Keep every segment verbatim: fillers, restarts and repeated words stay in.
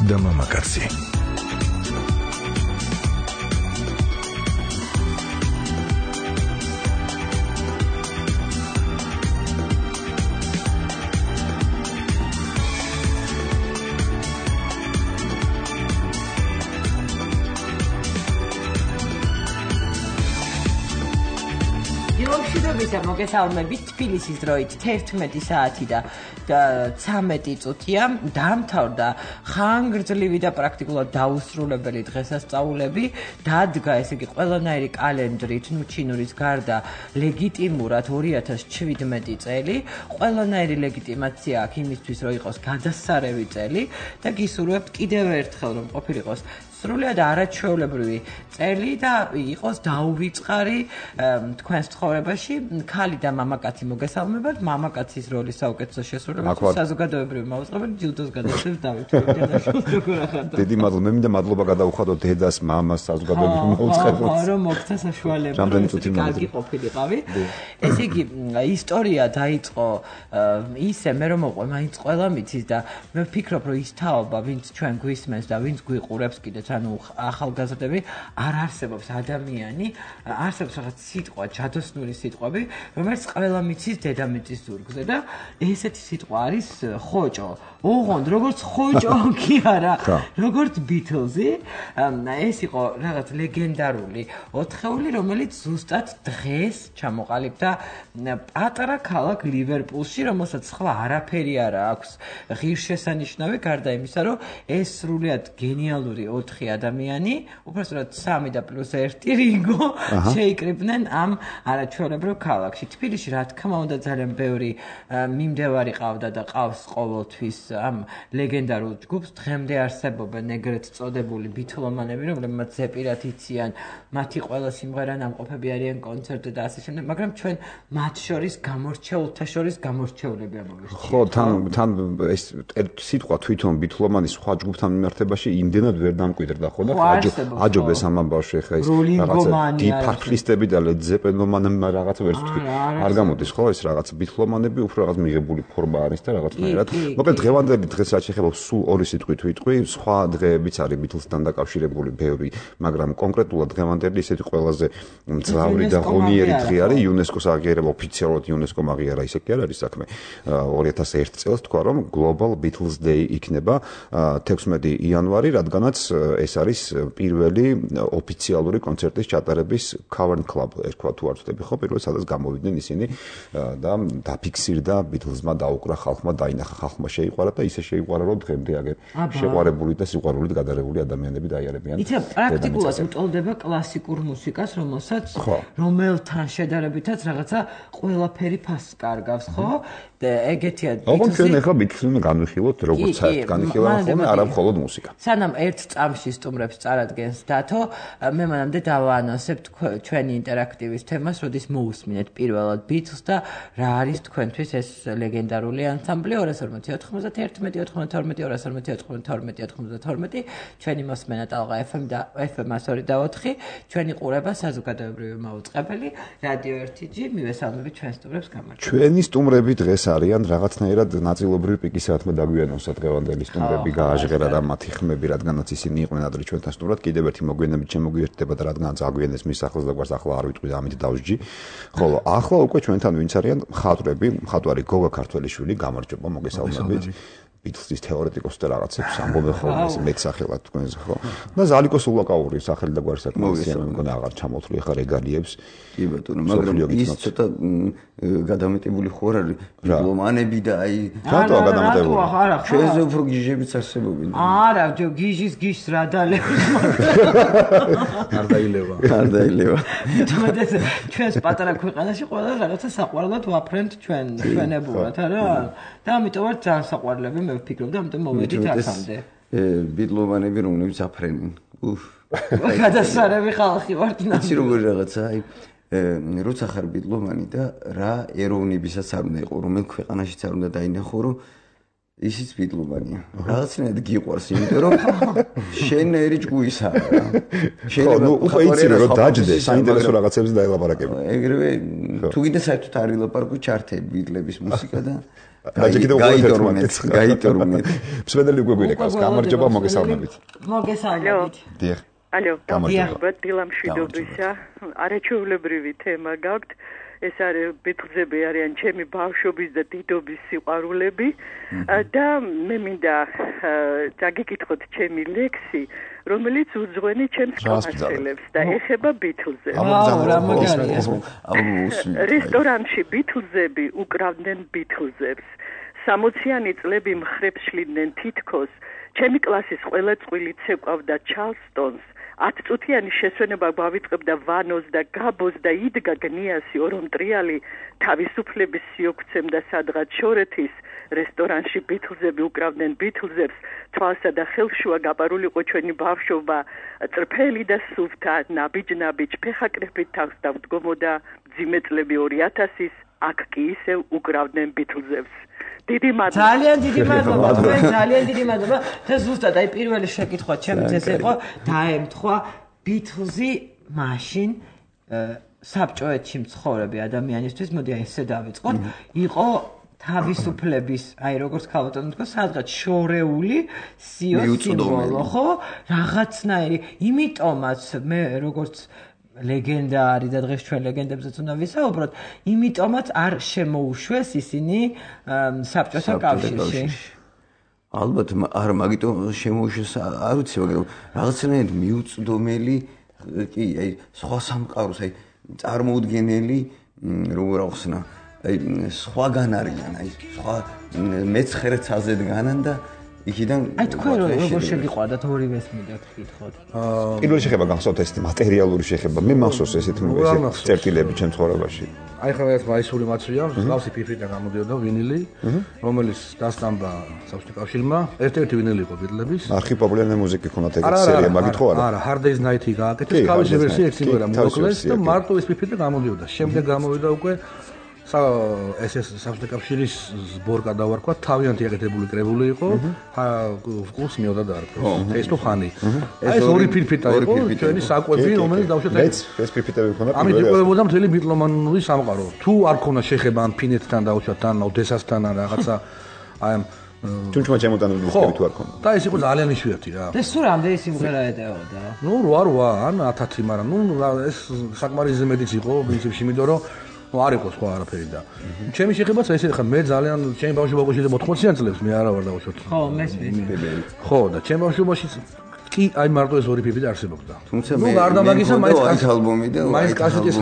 და მამაკაცი. მოგესალმებით თბილისის დროით თერთმეტი საათი და ცამეტი წუთია დამთავრდა ხანგრძლივი და პრაქტიკულად დაუსრულებელი დღესასწაულები დადგა ესე იგი ყველანაირი კალენდრით ნუ ჩინურის გარდა ლეგიტიმურად ორი ათას შვიდმეტი წელი ყველანაირი ლეგიტიმაცია აქვს იმისთვის რომ იყოს გადასარევი წელი და გისურვებთ კიდევ ერთხელ რომ ყოფილიყოს სრულად არაჩვეულებრივი წელი და იყოს დაუვიწყარი თქვენს ცხოვრებაში ქალი და მამაკაცი მოგესალმებათ მამაკაცის როლის საუკეთესო შესრულებაში საზოგადოებრივი მაუწყებელი ჯილდოს გადაცემს დავით ფერდიანაშვილს. დიდი მადლობა მე მინდა მადლობა გადავუხადო დედას მამას საზოგადოებრივი მაუწყებელს. ხო რომ მოგცა საშუალება კარგი ყოფილიყავი. ესე იგი ისტორია დაიწყო ისე მე რომ მოყვე მაინც ყველა მიცის და მე ვფიქრობ რომ ის თაობა ვინც ჩვენ გვისმენს და ვინც გვიყურებს კიდეც ანუ ახალგაზრდები არ არსებობს ადამიანი არსებობს რაღაც სიტყვა ჯადოსნური სიტყვები რომელიც ყველა მიცის დედამიწის ზურგზე და ესეთი სიტყვა არის ხოჭო ოღონდ როგორც ხოჭო კი არა როგორც ბითლზი ეს იყო რაღაც ლეგენდარული ოთხეული რომელიც ზუსტად დღეს ჩამოყალიბდა პატარა ქალაქ ლივერპულში რომელსაც სხვა არაფერი არა აქვს ღირსშესანიშნავი გარდა იმისა რომ ეს სრულიად გენიალური ოთხი ადამიანი, უბრალოდ სამი და პლუს ერთი რინგო შეიკრიბნენ ამ არაჩვეულებრივ ქალაქში. თბილისში რა თქმა უნდა ძალიან ბევრი მიმდევარი ყავდა და ყავს ყოველთვის ამ ლეგენდარულ ჯგუფს. დღემდე არსებობენ ეგრეთ წოდებული ბითლომანები, რომლებმაც ზეპირად იციან, მათი ყველა სიმღერა ნამყოფები არიან კონცერტზე და ასე შემდეგ, მაგრამ ჩვენ მათ შორის გამორჩეულთა შორის გამორჩეულები ამოვირჩიეთ. ხო, თან თან ეს სიტყვა თვითონ ბითლომანის სხვა ჯგუფთან მიმართებაში იმდენად ვერ დამკვიდრდა. და ხო და აჯობეს ამ ამბავში ხა ის რაღაცა დიფარფლისტები და ლედზეპელომანები რაღაც ვერც თქვი არ გამოდის ხო ეს რაღაც ბითლომანები უფრო რაღაც მიღებული ფორმა არის და რაღაცნაირად მოკლედ დღევანდელი დღეს რაც შეხება სულ ორი სიტყვით ვიტყვი სხვა დღეებიც არის ბითლსთან დაკავშირებული ბევრი მაგრამ კონკრეტულად დღევანდელი ისეთი ყველაზე მძლავრი და ღონიერი დღე არის იუნესკოს აღიარება ოფიციალურად იუნესკომ აღიარა ისე კი არ არის საქმე ორი ათას ერთი წელს თქვა რომ Global Beatles Day იქნება თექვსმეტი იანვარი რადგანაც ეს არის პირველი ოფიციალური კონცერტის ჩატარების Cavern Club ერქვა თუ არ ვთქვი ხო პირველი სადაც გამოვიდნენ ისინი და დაფიქსირდა ბითლზმა დაუკრა ხალხმა დაინახა ხალხმა შეიყვარა და ისე შეიყვარა რომ დღემდე აგერ შეყვარებული და სიყვარულით გადარეული ადამიანები დაიარებიან. იცი პრაქტიკულად უტოლდება კლასიკურ მუსიკას რომელსაც რომელთან შედარებითაც რაღაცა ყველაფერი ფასს კარგავს ხო და ეგეთია ოღონდ ჩვენ ახლა ბითლზმა განვიხილოთ როგორც საერთოდ განვიხილავთ ხოლმე არა მხოლოდ მუსიკა. სანამ ერთ წამში სტუმრებს წარადგენს დათო მე მანამდე დავაანონსებ ჩვენი ინტერაქტივის თემას როდის მოусმინეთ პირველად ბითლს და რა არის თქვენთვის ეს ლეგენდარული ანსამბლი ორას ორმოცი ოთხმოცდაერთი ოთხმოცდათორმეტი ორას ორმოცი ოთხმოცდათორმეტი ოთხმოცდათორმეტი ჩვენი მოსმენა ტალღა ეფ ემ და ეფ ემ ორი და ოთხი ჩვენი ყურება საზოგადოებრივი მაუწყებელი რადიო ერთი ჯი მივესალმებით ჩვენ სტუმრებს გამარჯობა. ჩვენი სტუმრები დღეს არიან რაღაცნაირად ნაწილობრივ პიკისათმე დაგვიანონსა დღევანდელი სტუმრები გააჟღერა და მათი ხმები რადგანაც ისინი იყვნენ ადრე ჩვენთან სტუმრად კიდევ ერთი მოგვიანებით შემოგვიერთდება და რადგანაც აგვიანეს მის ახლოს და გვარს ახლა არ ვიტყვი და ამით დავსჯი. ხოლო ახლა უკვე ჩვენთან ვინც არიან მხატვრები, მხატვარი გოგა ქართველიშვილი, გამარჯობა, მოგესალმებით. ბითლსის თეორეტიკოსი და რაღაცებს ამბობენ ხოლმე ეს მეტსახელად თქვენზე ხო? და ზალიკოს ულაკაური სახელი და გვარი საკმაოდია მე მგონი აღარ ჩამოთვლი ხა რეგალიებს. კი ბატონო, მაგრამ ის ცოტა გადამეტებული ხო არ არის ბითლომანები და აი რატოა გადამეტებული? ჩვენზე უფრო გიჟებიც არსებობენ. არა, ჯო გიჟის გიჟს რა დალევს. არ დაილევა. არ დაილევა. თუმცა ჩვენს პატარა ქვეყანაში ყველა რაღაცა საყვარლად ვაფრენთ ჩვენ ჩვენებურად არა? და ამიტომ ვარ ძალიან საყვარლები მე ვფიქრობ და ამიტომ მოვედით აქამდე. ბითლომანები რომლებიც აფრენენ. უფ. გადასარევი ხალხი ვართ ნახე. იცი როგორი რაღაცა აი როცა ხარ ბითლომანი და რა ეროვნებისაც არ უნდა იყო რომელ ქვეყანაშიც არ უნდა დაინახო რომ ისიც ბიტლომანია. რაღაცნაირად გიყვარს, იმიტომ რომ შენ ერი ჭუისაა რა. შეიძლება უკვე იცი რომ დაждდე, საინტერესო რაღაცებს დაელაპარაკები. ეგრევე თუ კიდე საერთოდ არ ილაპარაკო ჩარტები ბიტლების მუსიკა და გაიტორმეთ, გაიტორმეთ. მსმენელი უკვე გვირეკავს, გამარჯობა, მოგესალმებით. მოგესალმებით. დიახ. ალო, გამარჯობა, დილამშვიდობისა. არაჩვეულებრივი თემა გაქვთ. ეს არის ბიტლზები არიან ჩემი ბავშვობის და დიდობის სიყვარულები და მე მინდა დაგიკითხოთ ჩემი ლექსი, რომელიც უძღვენი ჩემს კლასელებს და ეხება ბიტლზებს. რესტორანში ბიტლზები უკრავდნენ ბიტლზებს. სამოციანი წლები მხრებს შლიდნენ თითქოს, ჩემი კლასის ყველა წყვილი ცეკვავდა ჩარლსტონს. ათწუთიანი შესვენება გავიწყებდა ვანოს და გაბოს და იდგა გნიასი ორომტრიალი თავისუფლების სიოქცემ და სადღაც შორეთის რესტორანში ბიტლზები უკრავდნენ ბიტლზებს თვალსა და ხელშუა გაპარულიყო ჩვენი ბავშვობა წრფელი და სუფთა ნაბიჯ-ნაბიჯ ფეხაკრეფით თავს დავდგომოდა მძიმე წლები ორი ათასის აქ კი ისევ უკრავდნენ ბიტლზებს დიდი მადლობა. ძალიან დიდი მადლობა. თქვენ ძალიან დიდი მადლობა. და ზუსტად აი პირველი შეკითხვა ჩემს ეს იყო დაემთხვა ბიტლზი მაშინ საბჭოეთში მცხოვრები ადამიანისთვის, მოდი აი ესე დავიწყოთ, იყო თავისუფლების, აი როგორც ქალბატონი თქვა, სადღაც შორეული სიოს სიმბოლო, ხო? რაღაცნაირი, იმიტომაც მე როგორც ლეგენდა არის და დღეს ჩვენ ლეგენდებზეც უნდა ვისაუბროთ, იმიტომაც არ შემოუშვეს ისინი საბჭოთა კავშირში. ალბათ არ მაგიტომ შემოუშვეს, არ ვიცი, მაგრამ რაღაცნაირად მიუწვდომელი კი, აი სხვა სამყაროს, აი წარმოუდგენელი როგორ ახსნა, აი სხვაგან არიან, აი სხვა მეცხრე ცაზედ განან და იქიდან აი თქვენ როგორ შეგიყვარდათ ორივეს მინდა გკითხოთ. პირველი შეხება გახსოვთ ეს მატერიალური შეხება. მე მახსოვს ესეთ წერტილები ჩემ ცხოვრებაში. აი ხა ეს მაისური მაცვია, მსგავსი ფიფრიდან გამოდიოდა ვინილი, რომელიც დასტამბა საბჭოთა კავშირმა. ერთ-ერთი ვინილი იყო ბიტლების. არქი პოპულარული მუსიკი ქონათ ეგეთი სერია, მაგით ხო არა? არა, Hard Day's Night-ი გააკეთეს, თავისი ვერსია ერთ სიმღერა მოკლეს და მარტო ეს ფიფრიდან გამოდიოდა. შემდეგ გამოვიდა უკვე ეს ეს საბჭოთა კავშირის სბორ გადავარქვა, თავიანთი აკეთებული კრებული იყო, კურს მიოდა დაარქვეს. ეს თუ ხანი. აი ეს ორი ფირფიტა იყო, ჩვენი საკვები, რომელიც დავუშვათ ეს ეს ფირფიტები ქონდა. ამით იკვებებოდა მთელი ბიტლომანური სამყარო. თუ არ ქონდა შეხება ამ ფინეთთან დავუშვათ თან, ოდესასთან ან რაღაცა აი ამ თუნჩმა ჩემოდანული მუსიკები თუ არ ქონდა. და ეს იყო ძალიან იშვიათი რა. და სულ რამდენი სიმღერა ეტეოდა? ნუ რვა რვა ან ათათი, მაგრამ ნუ ეს საკმარისზე მეტიც იყო პრინციპში, იმიტომ რომ ну არ იყო სხვა არაფერი და ჩემი შეხებაც ესე ხა მე ძალიან ჩემი ბავშვობაში და ოთხმოციან წლებს მე არა ვარ დავუშვათ ხო მესმის ხო და ჩემი ბავშვობაში კი აი მარტო ეს ორი ფიფრიტი არსებობდა თუმცა მე გარდა მაგისა მაინც ალბომი და მაინც კასეტის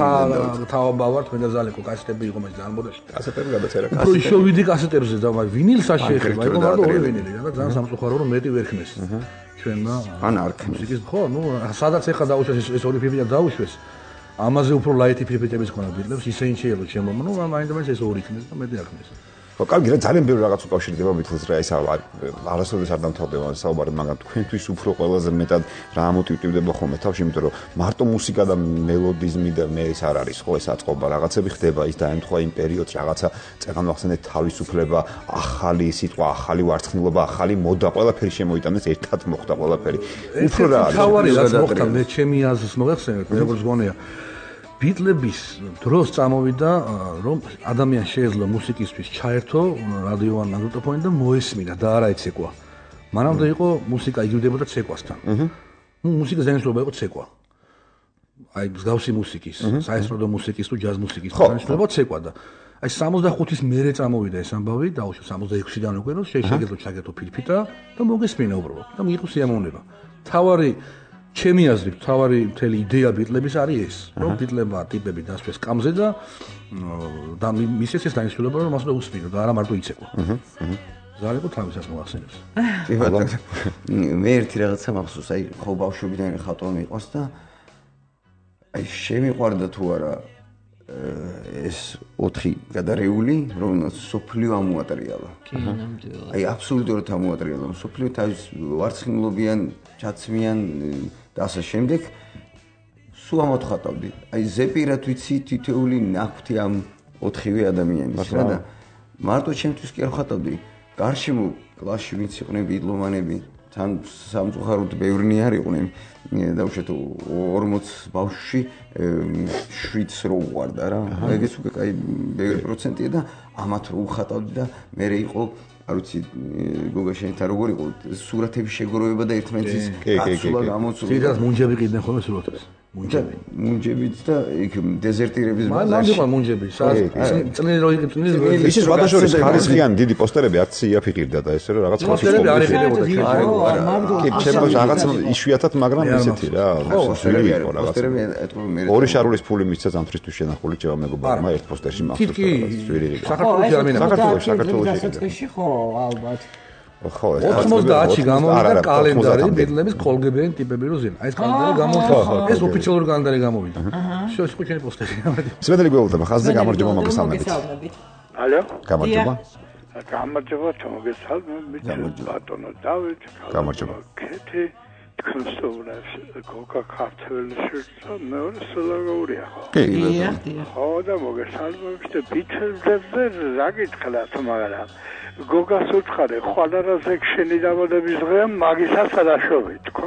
თავობა ვარ თქვენ და ზალეკო კასეტები იყო მაინც ძალიან მოდაში კასეტები გადაწერა კასეტები უფრო შევიდი კასეტებზე და მაგ ვინილს არ შეეხება იყო მარტო ორი ვინილი და ძალიან სამწუხარო რომ მეტი ვერ ხმეს ჩვენმა ან არ ხმეს ხო ნუ სადაც ეხა დაუშვეს ეს ორი ფიფრიტი დაუშვეს ამაზე უფრო ლაითი ფიფრიტების ქონა ბიტლებს ისე შეიძლება შემო ნუ მაინდა-მაინც ეს ორი ხმეს და მეტი არ ხმეს ხო კარგი რა ძალიან ბევრი რაღაც უკავშირდება ბიტლს რა ეს არასოდეს არ დამთავრდება საუბარი მაგრამ თქვენთვის უფრო ყველაზე მეტად რა მოტივირდება ხოლმე თავში იმიტომ რომ მარტო მუსიკა და მელოდიზმი და მე ეს არ არის ხო ეს აწყობა რაღაცები ხდება ის დაემთხვა იმ პერიოდს რაღაცა წეგან ვახსენეთ თავისუფლება ახალი სიტყვა ახალი ვარცხნილობა ახალი მოდა ყველაფერი შემოიტანეს ერთად მოხდა ყველაფერი უფრო რა არის თავარი რაც მოხდა მე ჩემი აზრს მოიხსენეთ მე როგორც გონია ბიტლების დროს წამოვიდა რომ ადამიანს შეეძლო მუსიკისთვის ჩაერთო რადიო ან მაგნიტოფონი და მოესმინა და არა იცეკვა. მანამდე იყო მუსიკა იგივდებოდა ცეკვასთან. ნუ მუსიკის დანიშნულება იყო ცეკვა. აი მსგავსი მუსიკის, საესტრადო მუსიკის თუ ჯაზ მუსიკის დანიშნულება ცეკვა და აი სამოცდახუთის მერე წამოვიდა ეს ამბავი, დაუშვო სამოცდაექვსიდან უკვე რომ შეიძლება ჩაგეთო ფირფიტა და მოგესმინა უბრალოდ და მიიღო სიამოვნება. თავარი ჩემი აზრით, თავარი მთელი იდეა ბიტლების არის ეს, რომ ბიტლებმა ტიპები დასვეს კამზე და და მისეს ეს დანიშნულება რომ მას უნდა უსმინო და არა მარტო იცეკვა. აჰა. ზალეკო თავისას მოახსენებს. კი ბატონო. მე ერთი რაღაცა მახსოვს, აი ხო ბავშვობიდან ხატვა მიყვარს და აი შემიყვარდა თუ არა ეს ოთხი გადარეული, რომელსაც სოფლიო ამოატრიალა. კი, ნამდვილად. აი აბსოლუტურად ამოატრიალა, სოფლიო თავის ვარცხნილობიან, ჩაცმიან და ასე შემდეგ სულ ამოთხატავდი. აი ზეპირად ვიცი თითოეული ნაკვთი ამ ოთხივე ადამიანის რა და მარტო ჩემთვის კი არ ხატავდი. გარშემო კლასში ვინც იყვნენ ბიტლომანები თან სამწუხაროდ ბევრნი არ იყვნენ დავუშვათ ორმოც ბავშვში შვიდს რო უყვარდა რა ეგეც უკვე კაი ბევრი პროცენტია და ამათ რო უხატავდი და მე იყო არ ვიცი გოგა შენთან როგორ იყო სურათების შეგროვება და ერთმანეთის გაცვლა გამოცვლა ძირას მუნჯები ყიდნენ ხოლმე სურათებს მუნჯები მუნჯებიც და იქ დეზერტირების ბაზაში მანდ მუნჯები წნილი რო იყო წნილი ისე სხვადასხვა ხარისხიანი დიდი პოსტერები არც იაფიყირდა და ესე რომ რაღაც პოსტერები არ იყიდებოდა კი ჩემო რაღაც იშვიათად მაგრამ ესეთი რა სული იყო რაღაც ორი შარულის ფული მისცა ზამთრისთვის შენახული ჭევა მეგობარმა ერთ პოსტერში მახსოვს სვირი იყო საქართველოში არ მინახავს საქართველოში საქართველოში დასაწყისში ხო ალბათ ხო ოცდაათში გამოვიდა კალენდარი ბიტლების კოლგებიანი ტიპები რო ზიან. აი ეს კალენდარი გამოვიდა. ეს ოფიციალური კალენდარი გამოვიდა. შოშ ხო ჩემი პოსტერი გამოვიდა. სვეტელი გველოდება ხაზზე გამარჯობა მოგესალმებით. ალო? გამარჯობა. გამარჯობა მოგესალმებით. ბატონო დავით. გამარჯობა. კეთი კონსტოვნას გოგა ქართველში მეორე სლოგაურია ხო? კი. ხო და მოგესალმებით ბიტლებზე რა გითხრათ მაგრამ გოგას უცხარე ხვალარაზე შენი დაბადების დღეა მაგისაც არაშოვი თქო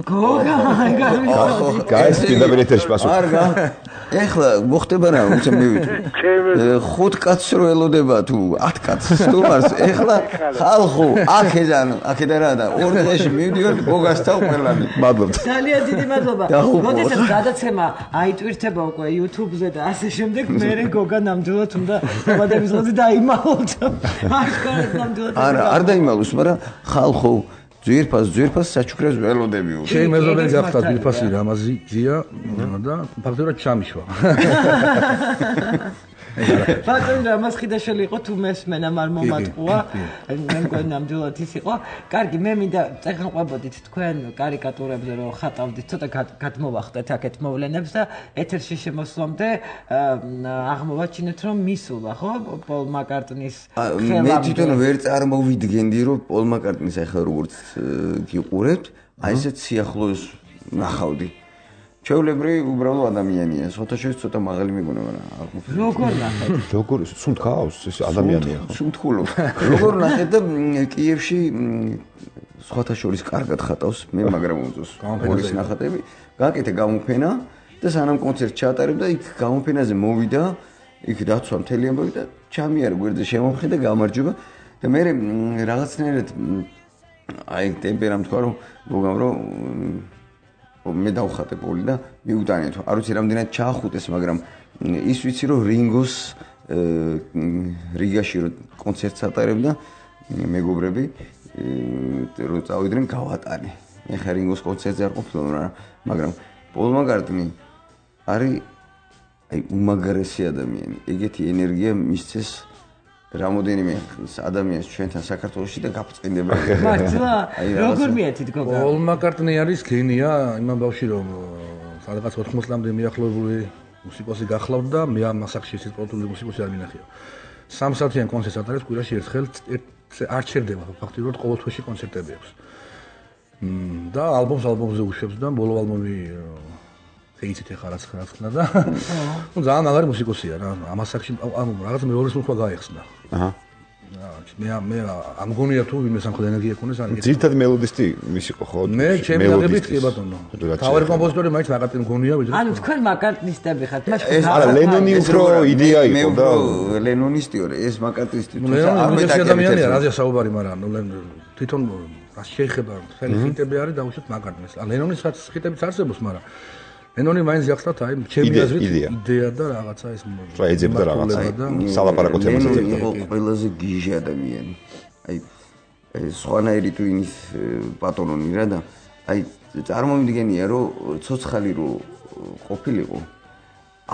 გოგა გამოვიდა გაის პირდაპირ ეთერში პასუხი არგა ეხლა მოხდება რა უცე მივიდე ხუთ კაცს რო ელოდება თუ ათ კაცს თუმარს ეხლა ხალხო აქედან აქედან რა და ორი დღეში მივდივარ გოგასთან ყველანი მადლობთ ძალიან დიდი მადლობა როდესაც გადაცემა აიტვირთება უკვე YouTube-ზე და ასე შემდეგ მე გოგა ნამდვილად უნდა დაბადების დღეზე დაიმალოთ არა არ დაიმალოს მაგრამ ხალხო ძვირფას ძვირფას საჩუქრებს ველოდებიო ჩემი მეზობელი გახდა ძვირფასი რამაზი ძია და ფაქტობრივად ჩამიშვა ბატონი რამაზ ხიდაშვილი იყო თუ მესმენა არ მომატყუა მე მგონი ნამდვილად ის იყო კარგი მე მინდა წეგანყვებოდით თქვენ კარიკატურებზე რომ ხატავდით ცოტა გადმოვახდეთ აქეთ მოვლენებს და ეთერში შემოსვლამდე აღმოვაჩინეთ რომ მისულა ხო პოლ მაკარტნის ხელამდე მე თვითონ ვერ წარმოვიდგენდი რომ პოლ მაკარტნის ახლა როგორც გიყურებთ აი ესეთ სიახლოვეს ნახავდი ჩეულებრი უბრალო ადამიანია. სოთაშოვის ცოტა მაღალი მიგონა, მაგრამ როგორ ნახეთ? როგორ სუნთქავს ეს ადამიანია ხო? სუნთქულობს. როგორ ნახეთ და კიევში სხვათა შორის კარგად ხატავს მე მაგრამ უძოს. ორის ნახატები. გაკეთე გამოფენა და სანამ კონცერტს ჩაატარებდა იქ გამოფენაზე მოვიდა, იქ დაცვა მთელი ამბავი და ჩამიარა გვერდზე შემომხი და გამარჯობა და მე რაღაცნაირად აი ტემპერამ თქვა რომ მოგამ რომ მე დავხატე პოლი და მიუტანეთ. არ ვიცი რამდენად ჩაახუტეს, მაგრამ ის ვიცი რომ რინგოს რიგაში რო კონცერტს ატარებდა მეგობრები რო წავიდნენ გავატანე. მე ხა რინგოს კონცერტზე არ ყოფილიყო, მაგრამ პოლ მაკარტნი არის აი უმაგრესი ადამიანი. ეგეთი ენერგია მისცეს რამოდენიმე ადამიანს ჩვენთან საქართველოში და გაფწყინდება. მართლა? როგორ მიეთით გოგა? პოლ მაკარტნი არის გენია იმ ამბავში რომ სადღაც ოთხმოცი წლამდე მიახლოებული მუსიკოსი გახლავთ და მე ამ მასახში ისეთ პროდუქტული მუსიკოსი არ მინახია. სამსათიან კონცერტს ატარებს კვირაში ერთხელ არ ჩერდება ფაქტობრივად ყოველ თვეში კონცერტები აქვს. და ალბომს ალბომზე უშვებს და ბოლო ალბომი ეიცით ახლა რაც ხნა და ნუ ძალიან მაგარი მუსიკოსია რა ამასაკში ამ რაღაც მეორის მუხვა გაიხსნა. აჰა. მე მე ამ გონია თუ ვინმე სამხედრო ენერგია ქონდეს არ იგეთ. ძირითადად მელოდისტი მის იყო ხო? მე ჩემი აღებით კი ბატონო. თავარი კომპოზიტორი მაინც მაკარტნი გონია ვიდრე. ანუ თქვენ მაკარტნისტები ხართ. ეს არა ლენონი უფრო იდეა იყო და ლენონისტიო ეს მაკარტნისტი თუ არ მეტაკადემია რაზეა საუბარი მაგრამ თვითონ რა შეიძლება ხელი ხიტები არის დაუშვათ მაკარტნის. ლენონიშაც ხიტებიც არსებობს მაგრამ ლენონი მაინც გახსნათ აი ჩემი აზრით იდეა და რაღაცა ეს რა ეძებდა რაღაცა სალაპარაკო თემას ეძებდა იყო ყველაზე გიჟი ადამიანი აი სხვანაირი თუ ინის პატრონი რა და აი წარმომიდგენია რომ ცოცხალი რო ყოფილიყო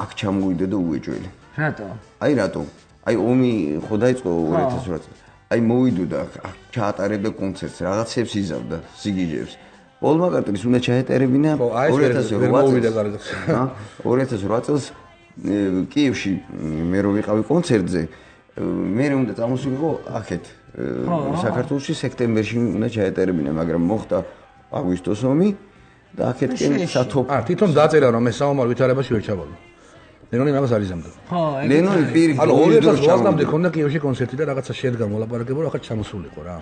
აქ ჩამოვიდა და უეჭველი რატო აი რატო აი ომი ხო დაიწყო ორი ათას ორი წელს აი მოვიდოდა აქ ჩაატარებდა კონცერტს რაღაცებს იზავდა სიგიჟებს პოლ მაკარტნის უნდა ჩაეტარებინა ორი ათას ორი წელს კიევში მე რო ვიყავი კონცერტზე მე უნდა წამოსულიყო აქეთ საქართველოში სექტემბერში უნდა ჩაეტარებინა მაგრამ მოხდა აგვისტოს ომი და აქეთკენ სათოფ აა თვითონ დაწერა რომ მე საომარ ვითარებაში ვერ ჩავალო ლენონი მაგას არ იზამდა. ხო, ლენონი პირი. ანუ ორი ათას ოცდაათამდე ქონდა კიევში კონცერტი და რაღაცა შედგა მოლაპარაკება, ახლა ჩამოსულიყო რა.